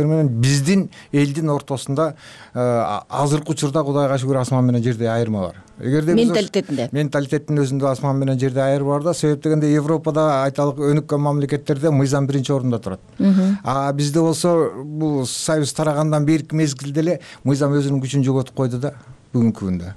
менен биздин элдин ортосунда азыркы учурда Кудайга шүгүр асман менен жердей айырма бар. Эгерде менталитеттин өзүндө асман менен жердей айырма бар да. Себеп дегенде Европада айталык өнүккөн мамлекеттерде мыйзам биринчи орунда турат. А бизде болсо бул союз тарагандан берки мезгилде эле мыйзам өзүнүн күчүн жоготуп койду да бүгүнкү күндө.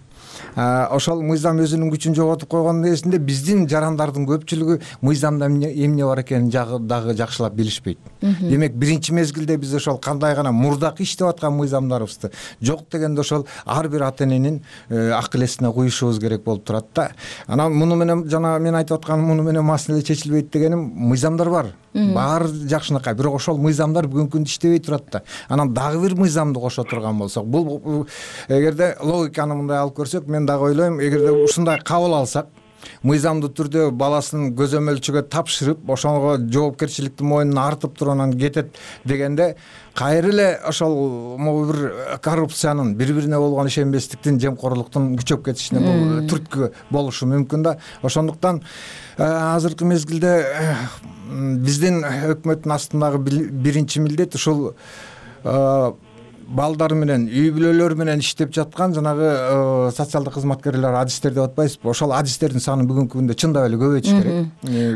Ошол мыйзам өзүнүн күчүн жоготуп койгондун эсинде биздин жарандардын көпчүлүгү мыйзамда эмне бар экенин дагы жакшылап билишпейт. Демек биринчи мезгилде биз ошол кандай гана мурдакы иштеп аткан мыйзамдарыбызды жок дегенде ошол ар бир ата эненин акыл эсине куюшубуз керек болуп турат да. Анан муну менен жана мен айтып атканым, муну менен маселе чечилбейт дегеним, мыйзамдар бар. Баары жакшынакай, бирок ошол мыйзамдар бүгүнкү күндө иштебей турат да. Анан дагы бир мыйзамды кошо турган болсок, бул эгерде логиканы мындай алып көрсөк, мен дагы ойлойм, эгерде ушундай кабыл алсак, мыйзамдуу түрдө баласын көзөмөлчүгө тапшырып, ошого жоопкерчиликти мойнуна артып туруп анан кетет дегенде, кайра эле ошол могу бир коррупциянын, бири-бирине болгон ишенбестиктин, жемкорлуктун күчөп кетишине бул түрткү болушу мүмкүн да. Ошондуктан азыркы мезгилде биздин өкмөттүн астындагы биринчи милдет ушул балдар менен, үй-бүлөлөр менен иштеп жаткан жанагы социалдык кызматкерлер, адистер деп атпайсызбы? Ошол адистердин саны бүгүнкү күндө чындап эле көбөйтүш керек.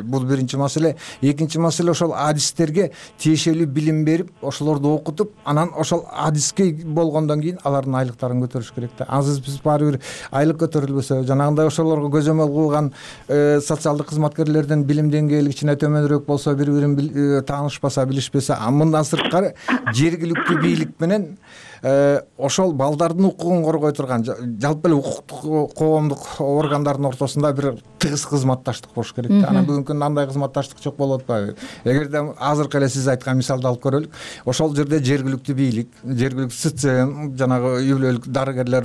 Бул биринчи маселе. Экинчи маселе, ошол адистерге тиешелүү билим берип, ошолорду окутуп, анан ошол адиске болгондон кийин алардын айлыктарын көтөрүш керек да. Азыр биз баары бир айлык көтөрүлбөсө, жанагындай ошолорго көзөмөл кылган социалдык кызматкерлердин билим деңгээли кичине төмөнүрөөк болсо, бири-бирин таанышпаса, билишпесе, мындан сырткары жергиликтүү бийлик менен ошол балдардын укугун коргой турган жалпы эле укуктук коомдук органдардын ортосунда бир тыгыз кызматташтык болуш керек да. Анан бүгүнкү күндө андай кызматташтык жок болуп атпайбы? Эгерде азыркы эле сиз айткан мисалды алып көрөлүк, ошол жерде жергиликтүү бийлик, жергиликтүү СЦМ, жанагы үй-бүлөлүк дарыгерлер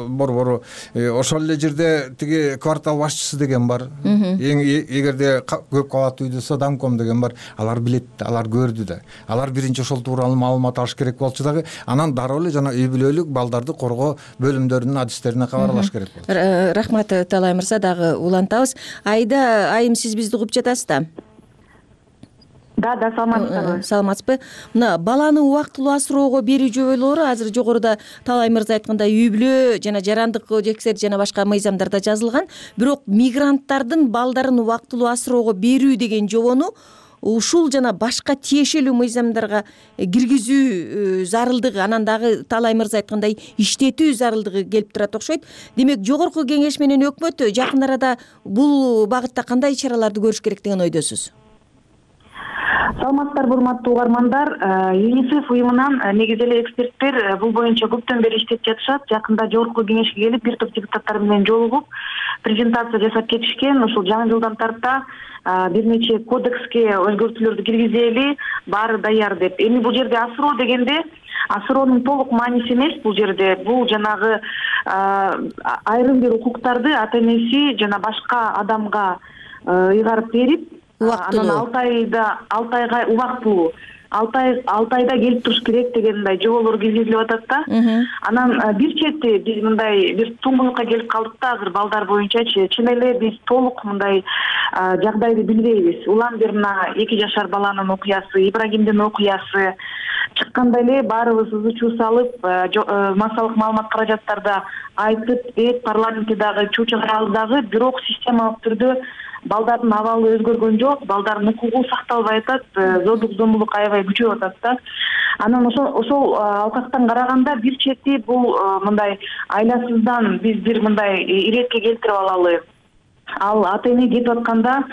борбору, ошол эле жерде тиги квартал башчысы деген бар. Эгерде көп кабаттуу үйдө домком деген бар. Алар билет, алар көрдү да. Алар биринчи ошол тууралуу маалымат алыш керек болчу дагы. Анан дароо эле жана үй-бүлөлүк балдарды коргоо бөлүмдөрүнүн адистерине кабарлаш керек болот. Рахмат Талай мырза, дагы улантабыз. Айда айым, сиз бизди угуп жатасыз да? Да, саламатсызбы? Мына баланы убактылуу асыроого берүү жоболору азыр жогоруда Талай мырза айткандай үй-бүлө жана жарандык кодекстер жана башка мыйзамдарда жазылган. Бирок мигранттардын балдарын убактылуу асыроого берүү деген жобону ушул жана башка тиешелүү мыйзамдарга киргизүү зарылдыгы, анан дагы Талай мырза айткандай иштетүү зарылдыгы келип турат окшойт. Демек, Жогорку Кеңеш менен өкмөт жакын арада бул багытта кандай чараларды көрүш керек деген ойдосуз? саламатсыздарбы урматтуу угармандар. ЮНИСЕФ уюмунан негизи эле эксперттер бул боюнча көптөн бери иштеп жатышат. Жакында жогорку кеңешке келип бир топ депутаттар менен жолугуп презентация жасап кетишкен. Ушул жаңы жылдан тарта бир нече кодекске өзгөртүүлөрдү киргизели, баары даяр деп. Эми бул жерде асыроо дегенде асыроонун толук мааниси эмес бул жерде. Бул жанагы айрым бир укуктарды ата энеси жана башка адамга ыйгарып берип, анан 6 айга убактылуу 6 айда келип туруш керек деген мындай жоболор киргизилип атат да. Анан бир чети биз мындай бир туңгуюкка келип калдык да азыр балдар боюнчачы. Чын эле биз толук мындай жагдайды билбейбиз. Улам бир мына 2 жашар баланын окуясы, Ибрагимдин окуясы чыкканда эле баарыбыз ызы чуу салып, массалык маалымат каражаттарда айтып, парламентте дагы чуу чыгарабыз дагы, бирок системалык түрдө балдардын абалы өзгөргөн жок, балдардын укугу сакталбай атат, зордук зомбулук аябай күчөп атат да. Анан ошол алкактан караганда бир чети бул мындай айласыздан биз бир мындай иретке келтирип алалы. Ал ата эне кетип атканда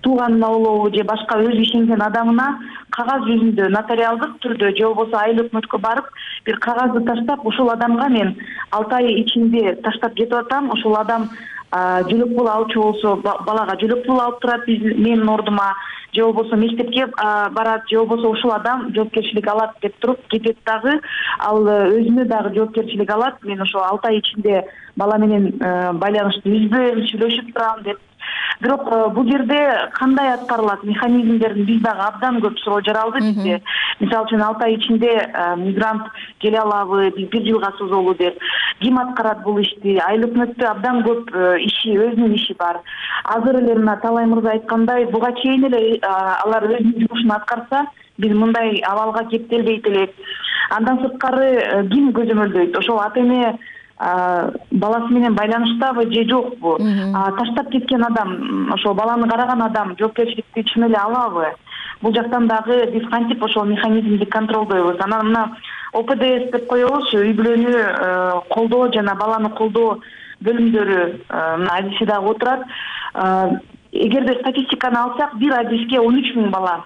тууганына болобу же башка өз ишенген адамына кагаз жүзүндө нотариалдык түрдө же болбосо айыл өкмөткө барып бир кагазды таштап, ушул адамга мен 6 ай ичинде таштап кетип атам, ошол адам жөлөк пул алчу болсо балага жөлөк пул алып турат менин ордума, же болбосо мектепке барат, же болбосо ушул адам жоопкерчилик алат деп туруп кетет дагы, ал өзүнө дагы жоопкерчилик алат. Мен ошо 6 ай ичинде бала менен байланышты үзбөйм, сүйлөшүп турам деп. Бирок бул жерде кандай аткарылат механизмдерин биз дагы абдан көп суроо жаралды бизде. Мисалы үчүн 6 ай ичинде мигрант келе алабы, биз 1 жылга созолу деп. Ким аткарат бул ишти? Айыл өкмөттө абдан көп иши, өзүнүн иши бар. Азыр эле мына Талай мырза айткандай, буга чейин эле алар өзүнүн жумушун аткарса, биз мындай абалга кептелбейт элек. Андан сырткары ким көзөмөлдөйт? Ошол ата эне баласы менен байланыштабы же жокпу? Таштап кеткен адам, ошол баланы караган адам жоопкерчиликти чын эле алабы? Бул жактан дагы биз кантип ошол механизмди контролдойбуз? Анан мына ОПДС деп коебуз, үй бүлөнү колдоо жана баланы колдоо бөлүмдөрү мына адиси дагы отурат. Эгерде статистиканы алсак, бир адиске 13 000 бала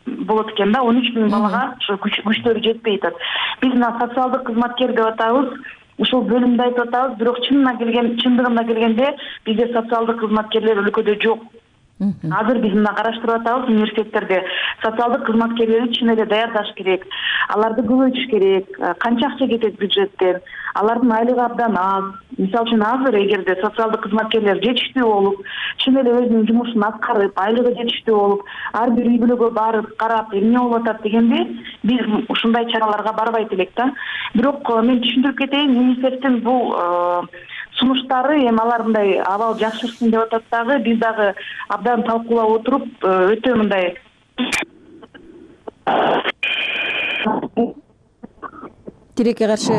болот экен да, 13 000 балага ошо күчтөрү жетпей атат. Биз мына социалдык кызматкер деп атабыз, ушул бөлүмдү айтып атабыз, бирок чындыгында келгенде бизде социалдык кызматкерлер өлкөдө жок. Азыр биз мына караштырып атабыз, университеттерде социалдык кызматкерлерди чын эле даярдаш керек. Аларды көбөйтүш керек. Канча акча кетет бюджеттен? Алардын айлыгы абдан аз. Мисалы үчүн азыр эгерде социалдык кызматкерлер жетиштүү болуп, чын эле өзүнүн жумушун аткарып, айлыгы жетиштүү болуп, ар бир үй бүлөгө барып, карап, эмне болуп атат дегенде, биз ушундай чараларга барбайт элек да. Бирок мен түшүндүрүп кетейин, ЮНИСЕФтин бул сунуштары эми алар мындай абал жакшырсын деп атат дагы, биз дагы абдан талкуулап отуруп, өтө мындай тилекке каршы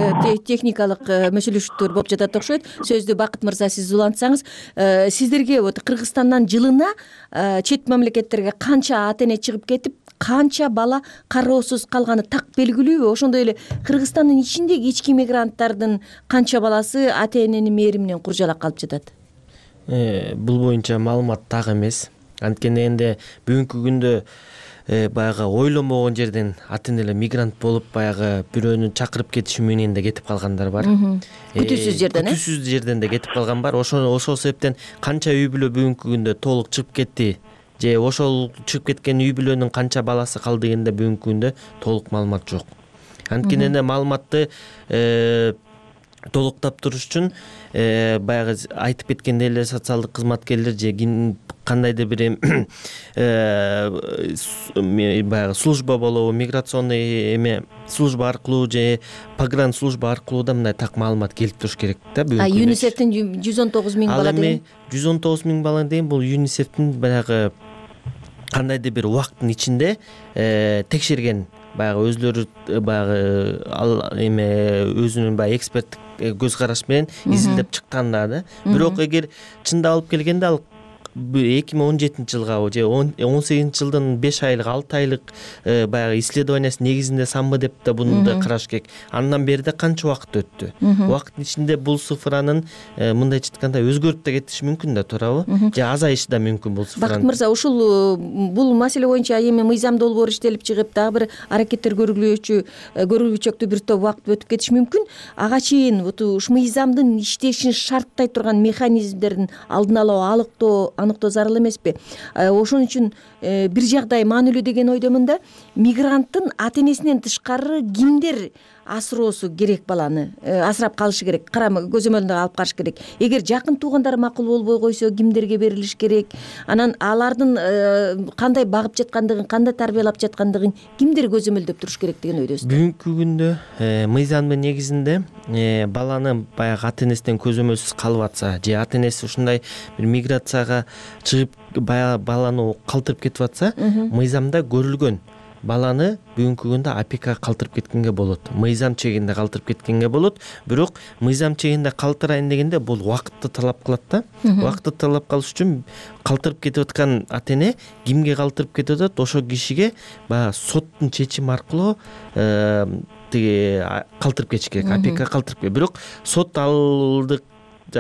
техникалык мөшөлөшүүлөр болуп жатат окшойт. Сөздү Бакыт мырза сиз улантсаңыз, сиздерге вот Кыргызстандан жылына чет мамлекеттерге канча ата эне чыгып кетип, канча бала кароосуз калганы так белгилүүбү? Ошондой эле Кыргызстандын ичиндеги ички мигранттардын канча баласы ата эненин мээриминен куржалак калып жатат? Бул боюнча маалымат так эмес. Анткени энди бүгүнкү күндө баягы ойлонбогон жерден ата энелер мигрант болуп баягы бирөөнү чакырып кетиши менен да кетип калгандар бар. Күтүүсүз жерден, күтүүсүз жерден да кетип калган бар. Ошол себептен канча үй бүлө бүгүнкү күндө толук чыгып кетти, же ошол чыгып кеткен үй бүлөнүн канча баласы калды дегенде бүгүнкү күндө толук маалымат жок. Анткени маалыматты толуктап туруш үчүн баягы айтып кеткендей эле социалдык кызматкерлер же кандайдыр бир баягы служба болобу, миграционный служба аркылуу же погран служба аркылуу да мындай так маалымат келип туруш керек да. ЮНИСЕФтин 119 000 бала деген? 119 000 бала деген бул ЮНИСЕФтин баягы кандайдыр бир убакыттын ичинде текшерген, баягы өзлөрү баягы өзүнүн баягы эксперттик көз караш менен изилдеп чыккан да. Бирок эгер чында алып келгенде ал 2017 жылга же 18 жылдын 5 айлык 6 айлык баягы исследованиясы негизинде самбы деп да буну да караш керек. Андан бери да канча убакыт өттү. Убакыттын ичинде бул цифранын мындайча айтканда өзгөрүп да кетиши мүмкүн да, туурабы? Же азайышы да мүмкүн бул цифранын. Бакыт мырза, ушул бул маселе боюнча эми мыйзам долбоор иштелип чыгып, дагы бир аракеттер көрүлүүчөктүү бир топ убакыт өтүп кетиши мүмкүн. Ага чейин ушу мыйзамдын иштешин шарттай турган механизмдердин алдын ала аныктоо зарыл эмеспи? Ошон үчүн бир жагдай маанилүү деген ойдомун да. Мигранттын ата энесинен тышкары кимдер асыроосу керек, баланы асырап калышы керек, көзөмөлүндө алып калыш керек? Эгер жакын туугандары макул болбой койсо, кимдерге берилиш керек? Анан алардын кандай багып жаткандыгын, кандай тарбиялап жаткандыгын кимдер көзөмөлдөп туруш керек деген ойдосуз? Бүгүнкү күндө мыйзамдын негизинде баланы баягы ата энесинен көзөмөлсүз калып атса, же ата энеси ушундай бир миграцияга чыгып баланы калтырып кетип атса, мыйзамда көрүлгөн баланы бүгүнкү күндө опекага калтырып кеткенге болот, мыйзам чегинде калтырып кеткенге болот. Бирок мыйзам чегинде калтырайын дегенде бул убакытты талап кылат да. Убакытты талап кылыш үчүн калтырып кетип аткан ата эне кимге калтырып кетип атат, ошол кишиге баягы соттун чечими аркылуу калтырып кетиш керек, опекага калтырып кетиш. Бирок сот алдык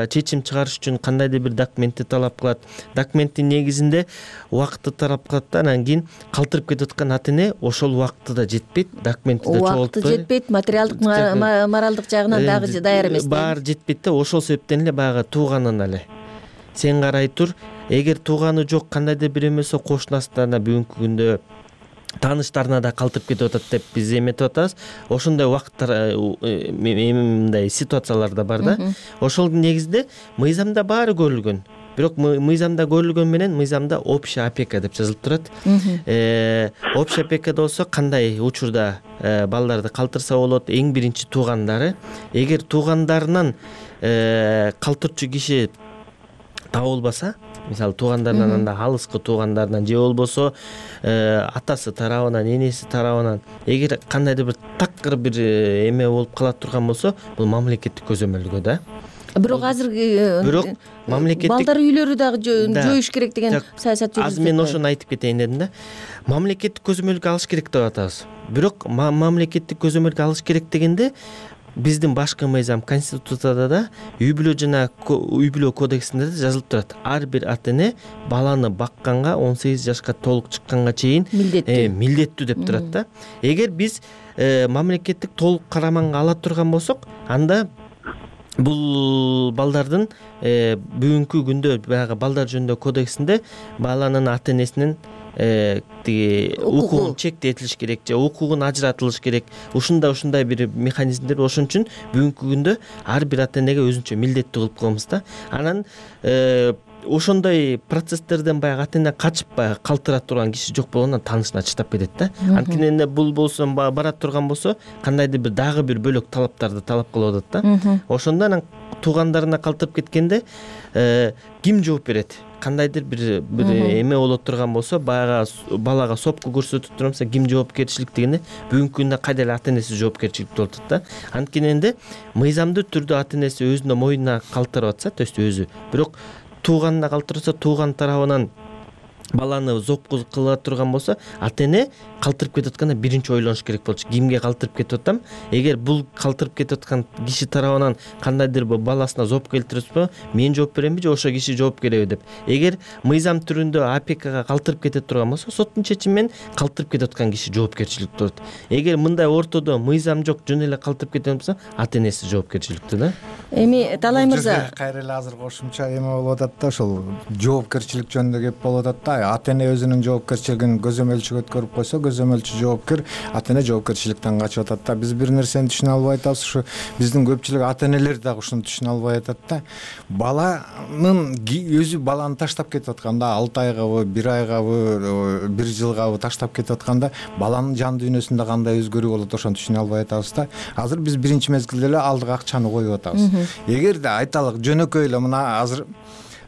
чечим чыгарыш үчүн кандайдыр бир документти талап кылат. Документтин негизинде убакытты талап кылат да, анан кийин калтырып кетип аткан ата эне ошол убакыты да жетпейт, документти да чогултпой. Убакыты жетпейт, материалдык, моралдык жагынан дагы даяр эмес. Баары жетпейт да, ошол себептен эле баягы тууганын эле сен карай тур. Эгер тууганы жок, кандайдыр бир эмесе кошунасына бүгүнкү күндө тааныштарына да калтырып кетип атат деп биз эметип атабыз. Ошондой убакыттар, мындай ситуациялар да бар да. Ошол негизде мыйзамда баары көрүлгөн. Бирок мыйзамда көрүлгөн менен мыйзамда общая опека деп жазылып турат. Общая опекада болсо кандай учурда балдарды калтырса болот? Эң биринчи туугандары. Эгер туугандарынан калтырчу киши табылбаса, мисалы туугандарынан, анда алыскы туугандарынан же болбосо атасы тарабынан, энеси тарабынан эгер кандайдыр бир такыр бир эме болуп кала турган болсо, бул мамлекеттик көзөмөлгө да. Бирок азыр балдар үйлөрү дагы жоюш керек деген саясат жүргүзүлөт. Азыр мен ошону айтып кетейин дедим да. Мамлекеттик көзөмөлгө алыш керек деп атабыз. Бирок мамлекеттик көзөмөлгө алыш керек дегенде биздин башкы мыйзам Конституцияда да, үй бүлө кодексинде да жазылып турат. Ар бир ата эне баланы бакканга 18 жашка толук чыкканга чейин милдеттүү деп турат да. Эгер биз мамлекеттик толук караманга ала турган болсок, анда бул балдардын бүгүнкү күндө баягы балдар жөнүндө кодексинде баланын ата энесинин укугун чектетилиш керек же укугун ажыратылыш керек. Ушундай бир механизмдер. Ошон үчүн бүгүнкү күндө ар бир ата энеге өзүнчө милдеттүү кылып коебуз да. Анан ошондой процесстерден баягы ата эне качып баягы калтыра турган киши жок болгондон таанышына чыдап кетет да. Анткени бул болсо барат турган болсо кандайдыр бир дагы бир бөлөк талаптарды талап кылып атат да. Ошондо анан туугандарына калтырып кеткенде ким жооп берет? Кандайдыр бир эме болот турган болсо, баягы балага сопку көрсөтүп турса ким жоопкерчилик дегенде бүгүнкү күндө кайда эле ата энеси жоопкерчиликти болуп атат да. Анткени мыйзамдуу түрдө ата энеси өзүнүн мойнуна калтырып атса, то есть өзү, бирок тууганына калтырса, тууган тарабынан баланы зопку кыла турган болсо, ата эне калтырып кетип атканда биринчи ойлонуш керек болчу. Кимге калтырып кетип атам? Эгер бул калтырып кетип аткан киши тарабынан кандайдыр бир баласына зоп келтирипсиз, мен жооп беремби же ошол киши жооп береби деп. Эгер мыйзам түрүндө опекага калтырып кетип турган болсо, соттун чечими менен калтырып кетип аткан киши жоопкерчиликте болот. Эгер мындай ортодо мыйзам жок, жөн эле калтырып кеткен болсо, ата энеси жоопкерчиликте да. Эми Талай мырза, кайра эле азыр кошумча эме болуп атат да, ошол жоопкерчилик жөнүндө кеп болуп атат да. Ата эне өзүнүн жоопкерчилигин көзөмөлчүгө өткөрүп койсо, көзөмөлчү жоопкер, ата эне жоопкерчиликтен качып атат да. Биз бир нерсени түшүнө албай атабыз, ушу биздин көпчүлүк ата энелер дагы ушуну түшүнө албай атат да. Баланын өзү баланы таштап кетип атканда, 6 айгабы, 1 айгабы, 1 жылгабы таштап кетип атканда, баланын жан дүйнөсүндө кандай өзгөрүү болот, ошону түшүнө албай атабыз да. Азыр биз биринчи мезгилде эле алдыга акчаны коюп атабыз. Эгерде айталык жөнөкөй эле мына азыр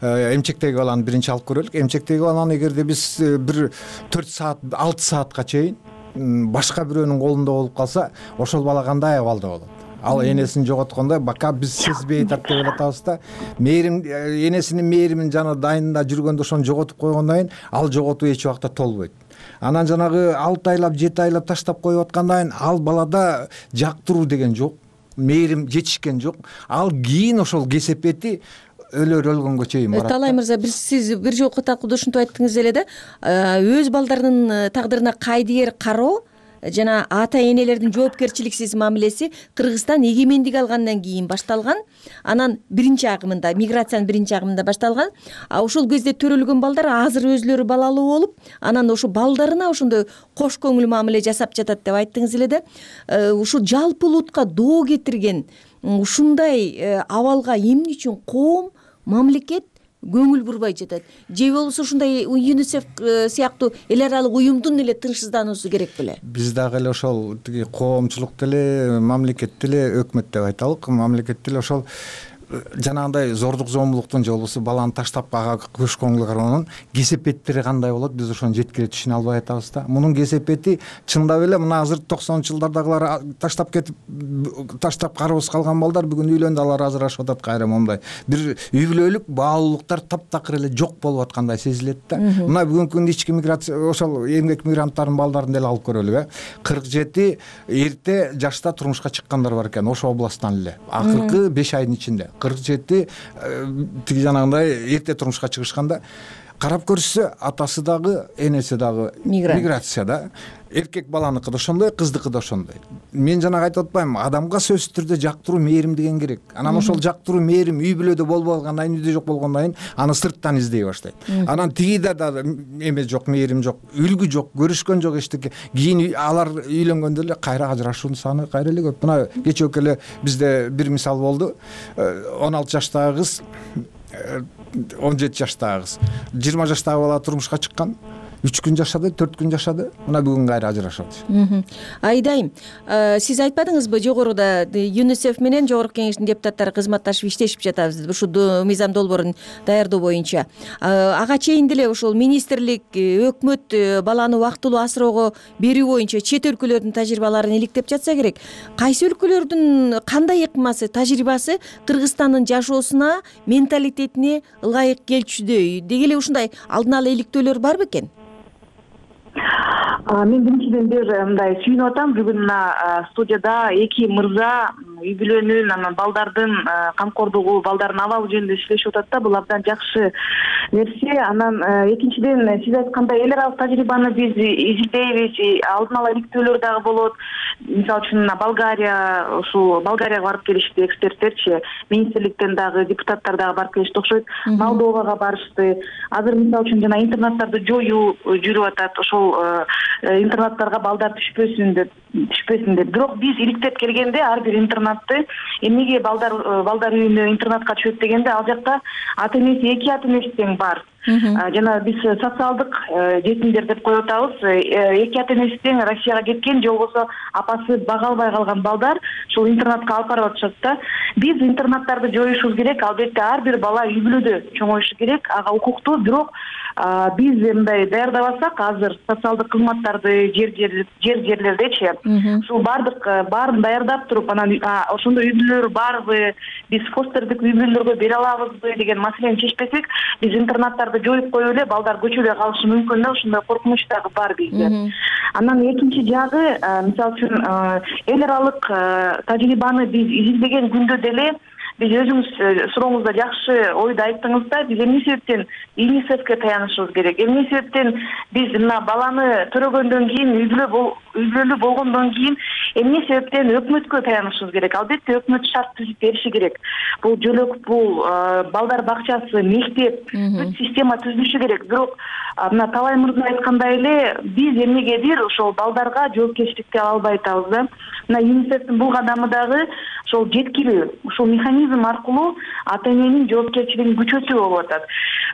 эмчектеги баланы биринчи алып көрөлүк. Эмчектеги баланы эгерде биз бир 4 саат, 6 саатка чейин башка бирөөнүн колунда болуп калса, ошол бала кандай абалда болот? ал энесин жоготкондо бака биз сезбей атат деп атабыз да. Мээрим энесинин мээримин жана дайында жүргөндө ошону жоготуп койгондон кийин ал жоготуу эч убакта толбойт. Анан жанагы 6 айлап 7 айлап таштап коюп аткандан кийин ал балада жактыруу деген жок, мээрим жетишкен жок. Ал кийин ошол кесепети өлгөнгө чейин барат. Талай мырза, сиз бир жолку талкууда ушинтип айттыңыз эле да, өз балдарынын тагдырына кайдыгер кароо жана ата энелердин жоопкерчиликсиз мамилеси Кыргызстан эгемендик алгандан кийин башталган. Анан биринчи агымында, миграциянын биринчи агымында башталган. Ошол кезде төрөлгөн балдар азыр өзлөрү балалуу болуп, анан ошо балдарына ошондой кош көңүл мамиле жасап жатат деп айттыңыз эле да. Ушул жалпы улутка доо кетирген ушундай абалга эмне үчүн коом, мамлекет көңүл бурбай жатат? Же болбосо ушундай ЮНИСЕФ сыяктуу эл аралык уюмдун эле тынчсыздануусу керек беле? Биз дагы эле ошол тиги коомчулук деле, мамлекет деле, өкмөт деп айталык. Мамлекет деле ошол жанагындай зордук зомбулуктун же болбосо баланы таштап ага көш көңүл кароонун кесепеттери кандай болот, биз ошону жеткире түшүнө албай атабыз да. Мунун кесепети чындап эле мына азыр 90-жылдардагылар таштап кетип, таштап кароосуз калган балдар бүгүн үйлөндү, алар ажырашып атат кайра момундай. Бир үй бүлөлүк баалуулуктар таптакыр эле жок болуп аткандай сезилет да. Мына бүгүнкү күндө ички миграция, ошол эмгек мигранттарынын балдарын деле алып көрөлүк, 47 эрте жашта турмушка чыккандар бар экен, ошол областтан эле. Акыркы 5 айдын ичинде 47 тиги жанагындай эрте турмушка чыгышканда карап көрсө атасы дагы энеси дагы миграцияда. Эркек баланыкы да ошондой, кыздыкы да ошондой. Мен жанагы айтып атпаймынбы, адамга сөзсүз түрдө жактыруу, мээрим деген керек. Анан ошол жактыруу, мээрим үй бүлөдө болбой калгандан кийин, үйдө жок болгондон кийин аны сырттан издей баштайт. Анан тигиде да эме жок, мээрим жок, үлгү жок, көрүшкөн жок эчтеке. Кийин алар үйлөнгөндө эле кайра ажырашуунун саны кайра эле көп. Мына кечээки эле бизде бир мисал болду. 16 жаштагы кыз, 17 жаштагы кыз, 20 жаштагы бала турмушка чыккан. 3 күн жашады, 4 күн жашады. Мына бүгүн кайра ажырашат. Айдайым, сиз айтпадыңызбы, жогоруда ЮНИСЕФ менен Жогорку Кеңештин депутаттары кызматташып иштешип жатабыз, ушул мыйзам долбоорун даярдоо боюнча. Ага чейин деле ошол министрлик, өкмөт баланы убактылуу асыроого берүү боюнча чет өлкөлөрдүн тажрыйбаларын иликтеп жатса керек. Кайсы өлкөлөрдүн кандай ыкмасы, тажрыйбасы Кыргызстандын жашоосуна, менталитетине ылайык келчүдөй? Деги эле ушундай алдын ала иликтөөлөр бар бекен? Мен биринчиден бир мындай сүйүнүп атам. Бүгүн мына студияда эки мырза үй бүлөнүн, анан балдардын камкордугу, балдардын абалы жөнүндө сүйлөшүп атат да. Бул абдан жакшы нерсе. Анан экинчиден сиз айткандай эл аралык тажрыйбаны биз изилдейбиз, алдын ала иликтөөлөр дагы болот. Мисалы үчүн Болгария, ушул Болгарияга барып келишти эксперттерчи, министрликтен дагы депутаттар дагы барып келишти окшойт. Молдовага барышты. Азыр мисалы үчүн жана интернаттарды жоюу жүрүп атат. Ошол интернаттарга балдар түшпөсүн деп. Бирок биз иликтеп келгенде ар бир интернатты эмнеге балдар үйүнө интернатка түшөт дегенде, ал жакта ата энеси, эки ата энеси тең бар. Жана биз социалдык жетимдер деп коюп атабыз. Эки ата энеси тең Россияга кеткен, же болбосо апасы бага албай калган балдар ушул интернатка алып барып атышат да. Биз интернаттарды жоюшубуз керек. Албетте ар бир бала үй бүлөдө чоңоюшу керек, ага укуктуу. Бирок биз мындай даярдабасак, азыр социалдык кызматтарды жерлердечи, ушул баарын даярдап туруп, анан ошондой үй бүлөлөр барбы, биз фостердик үй бүлөлөргө бере алабызбы деген маселени чечпесек, биз интернаттарды жоюп коюп эле балдар көчөдө калышы мүмкүн да. Ошондой коркунуч дагы бар бизде. Анан экинчи жагы, мисалы үчүн эл аралык тажрыйбаны биз изилдеген күндө деле биз өзүңүз сурооңузда жакшы ойду айттыңыз да. Биз эмне себептен ЮНИСЕФке таянышыбыз керек? Эмне себептен биз мына баланы төрөгөндөн кийин, үй бүлөлүү болгондон кийин эмне себептен өкмөткө таянышыбыз керек? Албетте өкмөт шарт түзүп бериши керек. Бул жөлөк, бул балдар бакчасы, мектеп, бүт система түзүлүшү керек. Бирок мына талай мырза айткандай эле биз эмнегедир ошол балдарга жоопкерчиликти ала албай атабыз да. Мына ЮНИСЕФтин бул кадамы дагы ошол жеткилүү, ушул механизм аркылуу ата эненин жоопкерчилигин күчөтүү болуп атат.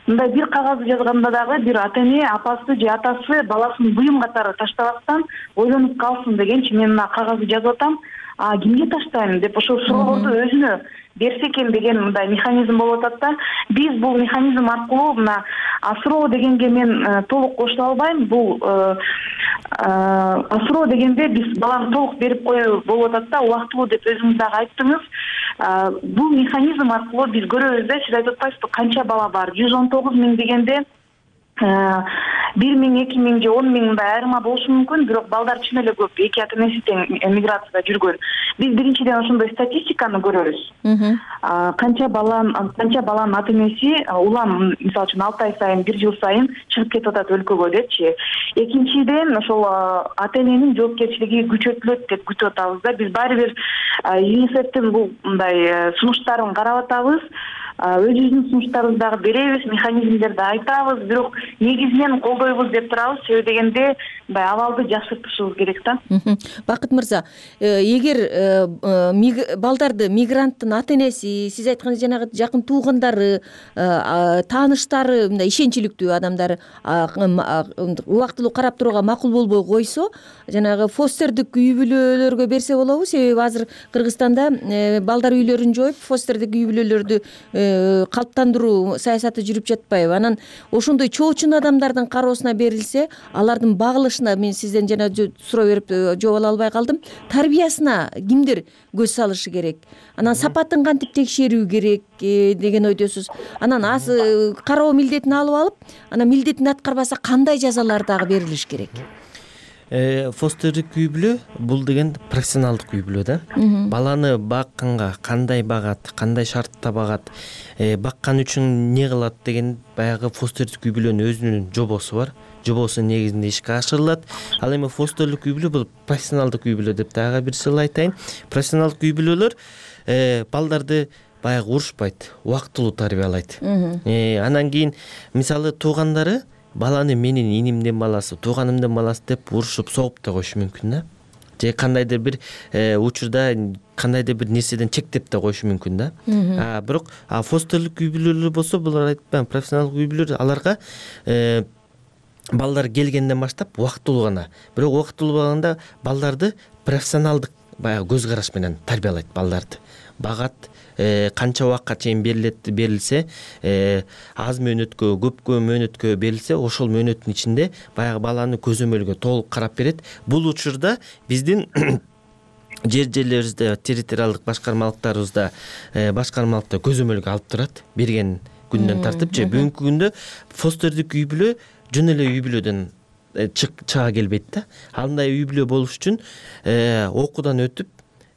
Мындай бир кагазды жазганда дагы бир ата эне апасы же атасы баласын буюм катары таштабастан ойлонуп калсын дегенчи мен мына кагазды жазып атам. кимге таштайм деп ошол суроолорду өзүнө берсе экен деген мындай механизм болуп атат да. Биз бул механизм аркылуу мына суроо дегенге мен толук кошула албайм. Бул суроо дегенде биз баланы толук берип коюу болуп атат да, убактылуу деп өзүңүз дагы айттыңыз. Бул механизм аркылуу биз көрөбүз да, сиз айтып атпайсызбы, канча бала бар? 119 миң дегенде 1 миң, 2 миң же 10 миң мындай айырма болушу мүмкүн, бирок балдар чын эле көп, эки ата энеси тең эмиграцияда жүргөн. Биз биринчиден ошондой статистиканы көрөбүз. Канча баланын ата энеси улам, мисалы үчүн 6 ай сайын, 1 жыл сайын чыгып кетип атат өлкөгө депчи. Экинчиден ошол ата эненин жоопкерчилиги күчөтүлөт деп күтүп атабыз да. Биз баары бир ЮНИСЕФтин бул мындай сунуштарын карап атабыз. Өзүбүздүн сунуштарыбызды дагы беребиз, механизмдерди айтабыз, бирок негизинен колдойбуз деп турабыз. Себеби дегенде мындай абалды жакшыртышыбыз керек да. Бакыт мырза, эгер балдарды мигранттын ата энеси, сиз айткандай жанагы жакын туугандары, тааныштары, мындай ишенчиликтүү адамдары убактылуу карап турууга макул болбой койсо, жанагы фостердик үй бүлөлөргө берсе болобу? Себеби азыр Кыргызстанда балдар үйлөрүн жоюп, фостердик үй бүлөлөрдү калыптандыруу саясаты жүрүп жатпайбы? Анан ошондой чоочун адамдардын кароосуна берилсе, алардын багылышына, мен сизден жана суроо берип жооп ала албай калдым, тарбиясына кимдер көз салышы керек? Анан сапатын кантип текшерүү керек деген ойдосуз? Анан кароо милдетин алып алып, анан милдетин аткарбаса кандай жазалар дагы берилиш керек? Фостердик үй бүлө бул деген профессионалдык үй бүлө да. Баланы бакканга кандай багат, кандай шартта багат, баккан үчүн не кылат деген баягы фостердик үй бүлөнүн өзүнүн жобосу бар. Жобосу негизинде ишке ашырылат. Ал эми фостерлик үй бүлө бул профессионалдык үй бүлө деп дагы бир жолу айтайын. Профессионалдык үй бүлөлөр балдарды баягы урушпайт, убактылуу тарбиялайт. Анан кийин мисалы туугандары баланы менин инимдин баласы, тууганымдын баласы деп урушуп, согуп да коюшу мүмкүн да. Же кандайдыр бир учурда кандайдыр бир нерседен чектеп да коюшу мүмкүн да. Бирок фостерлик үй бүлөлөр болсо, булар айтпайм, профессионалдык үй бүлөлөр, аларга балдар келгенден баштап убактылуу гана. Бирок убактылуу болгондо балдарды профессионалдык баягы көз караш менен тарбиялайт балдарды. Багат, канча убакка чейин берилсе, аз мөөнөткө, көпкө мөөнөткө берилсе, ошол мөөнөттүн ичинде баягы баланы көзөмөлгө толук карап берет. Бул учурда биздин жерлерибизде, территориалдык башкармалыктарыбызда көзөмөлгө алып турат, берген күндөн тартып же бүгүнкү күндө фостердик үй бүлө жөн эле үй бүлөдөн чыга келбейт да. Андай үй бүлө болуш үчүн окуудан өтүп,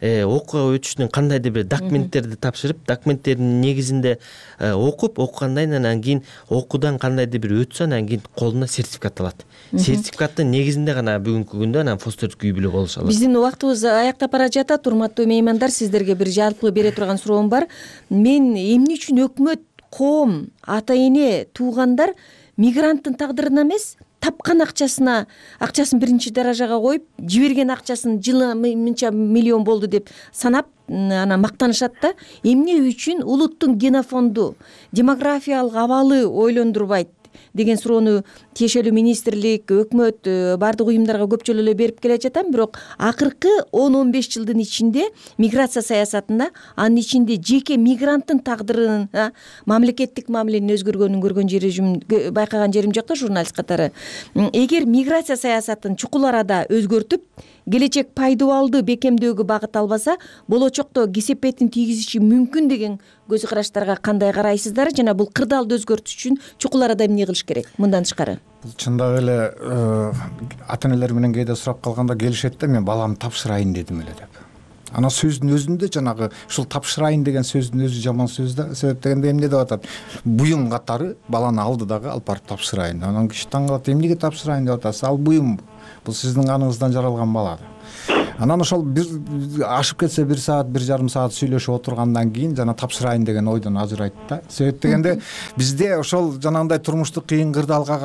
окууга өтүшүнүн кандайдыр бир документтерди тапшырып, документтердин негизинде окугандан анан кийин окуудан кандайдыр бир өтсө, анан кийин колуна сертификат алат. Сертификаттын негизинде гана бүгүнкү күндө анан фостердик үй бүлө болуша алат. Биздин убактыбыз аяктап бара жатат. Урматтуу меймандар, сиздерге бир жалпы бере турган суроом бар. Мен эмне үчүн өкмөт, коом, ата эне, туугандар мигранттын тагдырына эмес, тапкан акчасын биринчи даражага коюп, жиберген акчасын жылы мынча миллион болду деп санап, анан мактанышат да. Эмне үчүн улуттун генофонду, демографиялык абалы ойлондурбайт деген суроону тиешелүү министрлик, өкмөт, бардык уюмдарга көп жолу эле берип келе жатам. Бирок акыркы 10-15 жылдын ичинде миграция саясатында, анын ичинде жеке мигранттын тагдырынын, мамлекеттик мамиленин өзгөргөнүн байкаган жерим жок да, журналист катары. Эгер миграция саясатын чукул арада өзгөртүп, келечек пайдубалды бекемдөөгө багыт албаса, болочокто кесепетин тийгизиши мүмкүн деген көз караштарга кандай карайсыздар? Жана бул кырдаалды өзгөртүш үчүн чукул арада эмне кылыш керек мындан тышкары? Бул чындап эле ата энелер менен кээде сурап калганда келишет да, мен баламды тапшырайын дедим эле деп. Анан сөздүн өзүндө жанагы ушул тапшырайын деген сөздүн өзү жаман сөз да. Себеп дегенде эмне деп атат? Буюм катары баланы алды дагы алып барып тапшырайын. Анан киши таң калат, эмнеге тапшырайын деп атасыз? Ал буюм, бул сиздин каныңыздан жаралган бала. Анан ошол бир ашып кетсе 1 саат, 1,5 саат сүйлөшүп отургандан кийин жана тапшырайын деген ойдон ажырайт да. Себеп дегенде бизде ошол жанагындай турмуштук кыйын кырдаалга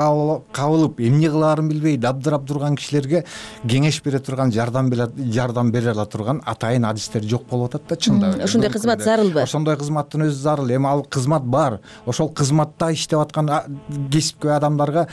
кабылып, эмне кылаарын билбей дабдырап турган кишилерге кеңеш бере турган, жардам бере ала турган атайын адистер жок болуп атат да, чындап эле. Ошондой кызмат зарылбы? Ошондой кызматтын өзү зарыл. Эми ал кызмат бар. Ошол кызматта иштеп аткан кесипкөй адамдарга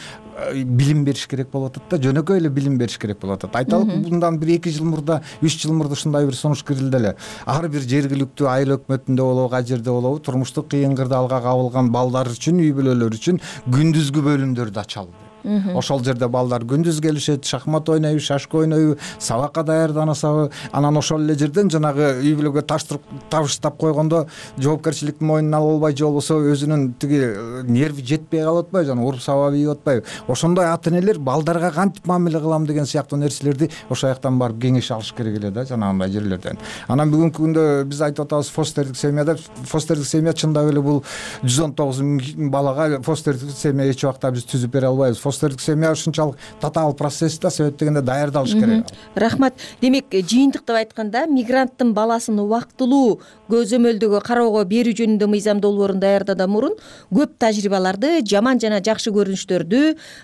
билим бериш керек болуп атат да, жөнөкөй эле билим бериш керек болуп атат. Айталык, мындан 1-2 жыл мурда мурда 3 жыл мурда ушундай бир сунуш кирилди эле. Ар бир жергиликтүү айыл өкмөтүндө болобу, ай жерде болобу, турмуштук кыйын кырдаалга кабылган балдар үчүн, үй бүлөлөр үчүн күндүзгү бөлүмдөрдү ачалды. Ошол жерде балдар күндүз келишет, шахмат ойнойбу, шашка ойнойбу, сабакка даярданышабы, анан ошол эле жерден жанагы үй бүлөгө табыштап койгондо жоопкерчиликтин мойнуна алып албай, же болбосо өзүнүн тиги нерви жетпей калып атпайбы, жана уруп сабап ийип атпайбы. Ошондой ата энелер балдарга кантип мамиле кылам деген сыяктуу нерселерди ошол жактан барып кеңеш алыш керек эле да, жанагындай жерлерден. Анан бүгүнкү күндө биз айтып атабыз фостердик семьяда. Фостердик семья чындап эле бул 119 000 балага фостердик семья эч убакта биз түзүп бере албайбыз. Фостердик семья ушунчалык татаал процесс да, себеп дегенде даярдалыш керек. Рахмат. Демек, жыйынтыктап айтканда, мигранттын баласын убактылуу көзөмөлдөгө кароого берүү жөнүндө мыйзам долбоорун даярдаадан мурун көп тажрыйбаларды, жаман жана жакшы көрүнүштөрдү,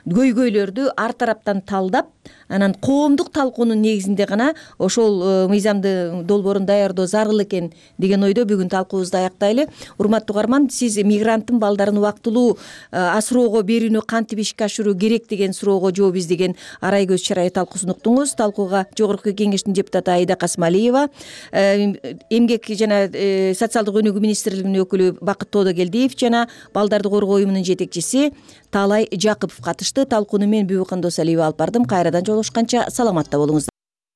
көйгөйлөрдү ар тараптан талдап, анан коомдук талкуунун негизинде гана ошол мыйзамды долбоорун даярдоо зарыл экен деген ойдо бүгүн талкуубузду аяктайлы. Урматтуу угарман, сиз мигранттын балдарын убактылуу асыроого берүүнү кантип ишке ашыруу керек деген суроого жооп издеген Арай көз чарайы талкуусун уктуңуз. Талкууга Жогорку Кеңештин депутаты Аида Касымалиева, эмгек жана социалдык өнүгүү министрлигинин өкүлү Бакыт Тоодокелдиев жана балдарды коргоо уюмунун жетекчиси Таалай Жакыпов катышты. Талкууну мен Бүбү Кандосалиева алып бардым. Кайрадан жолугушканча саламатта болуңуздар.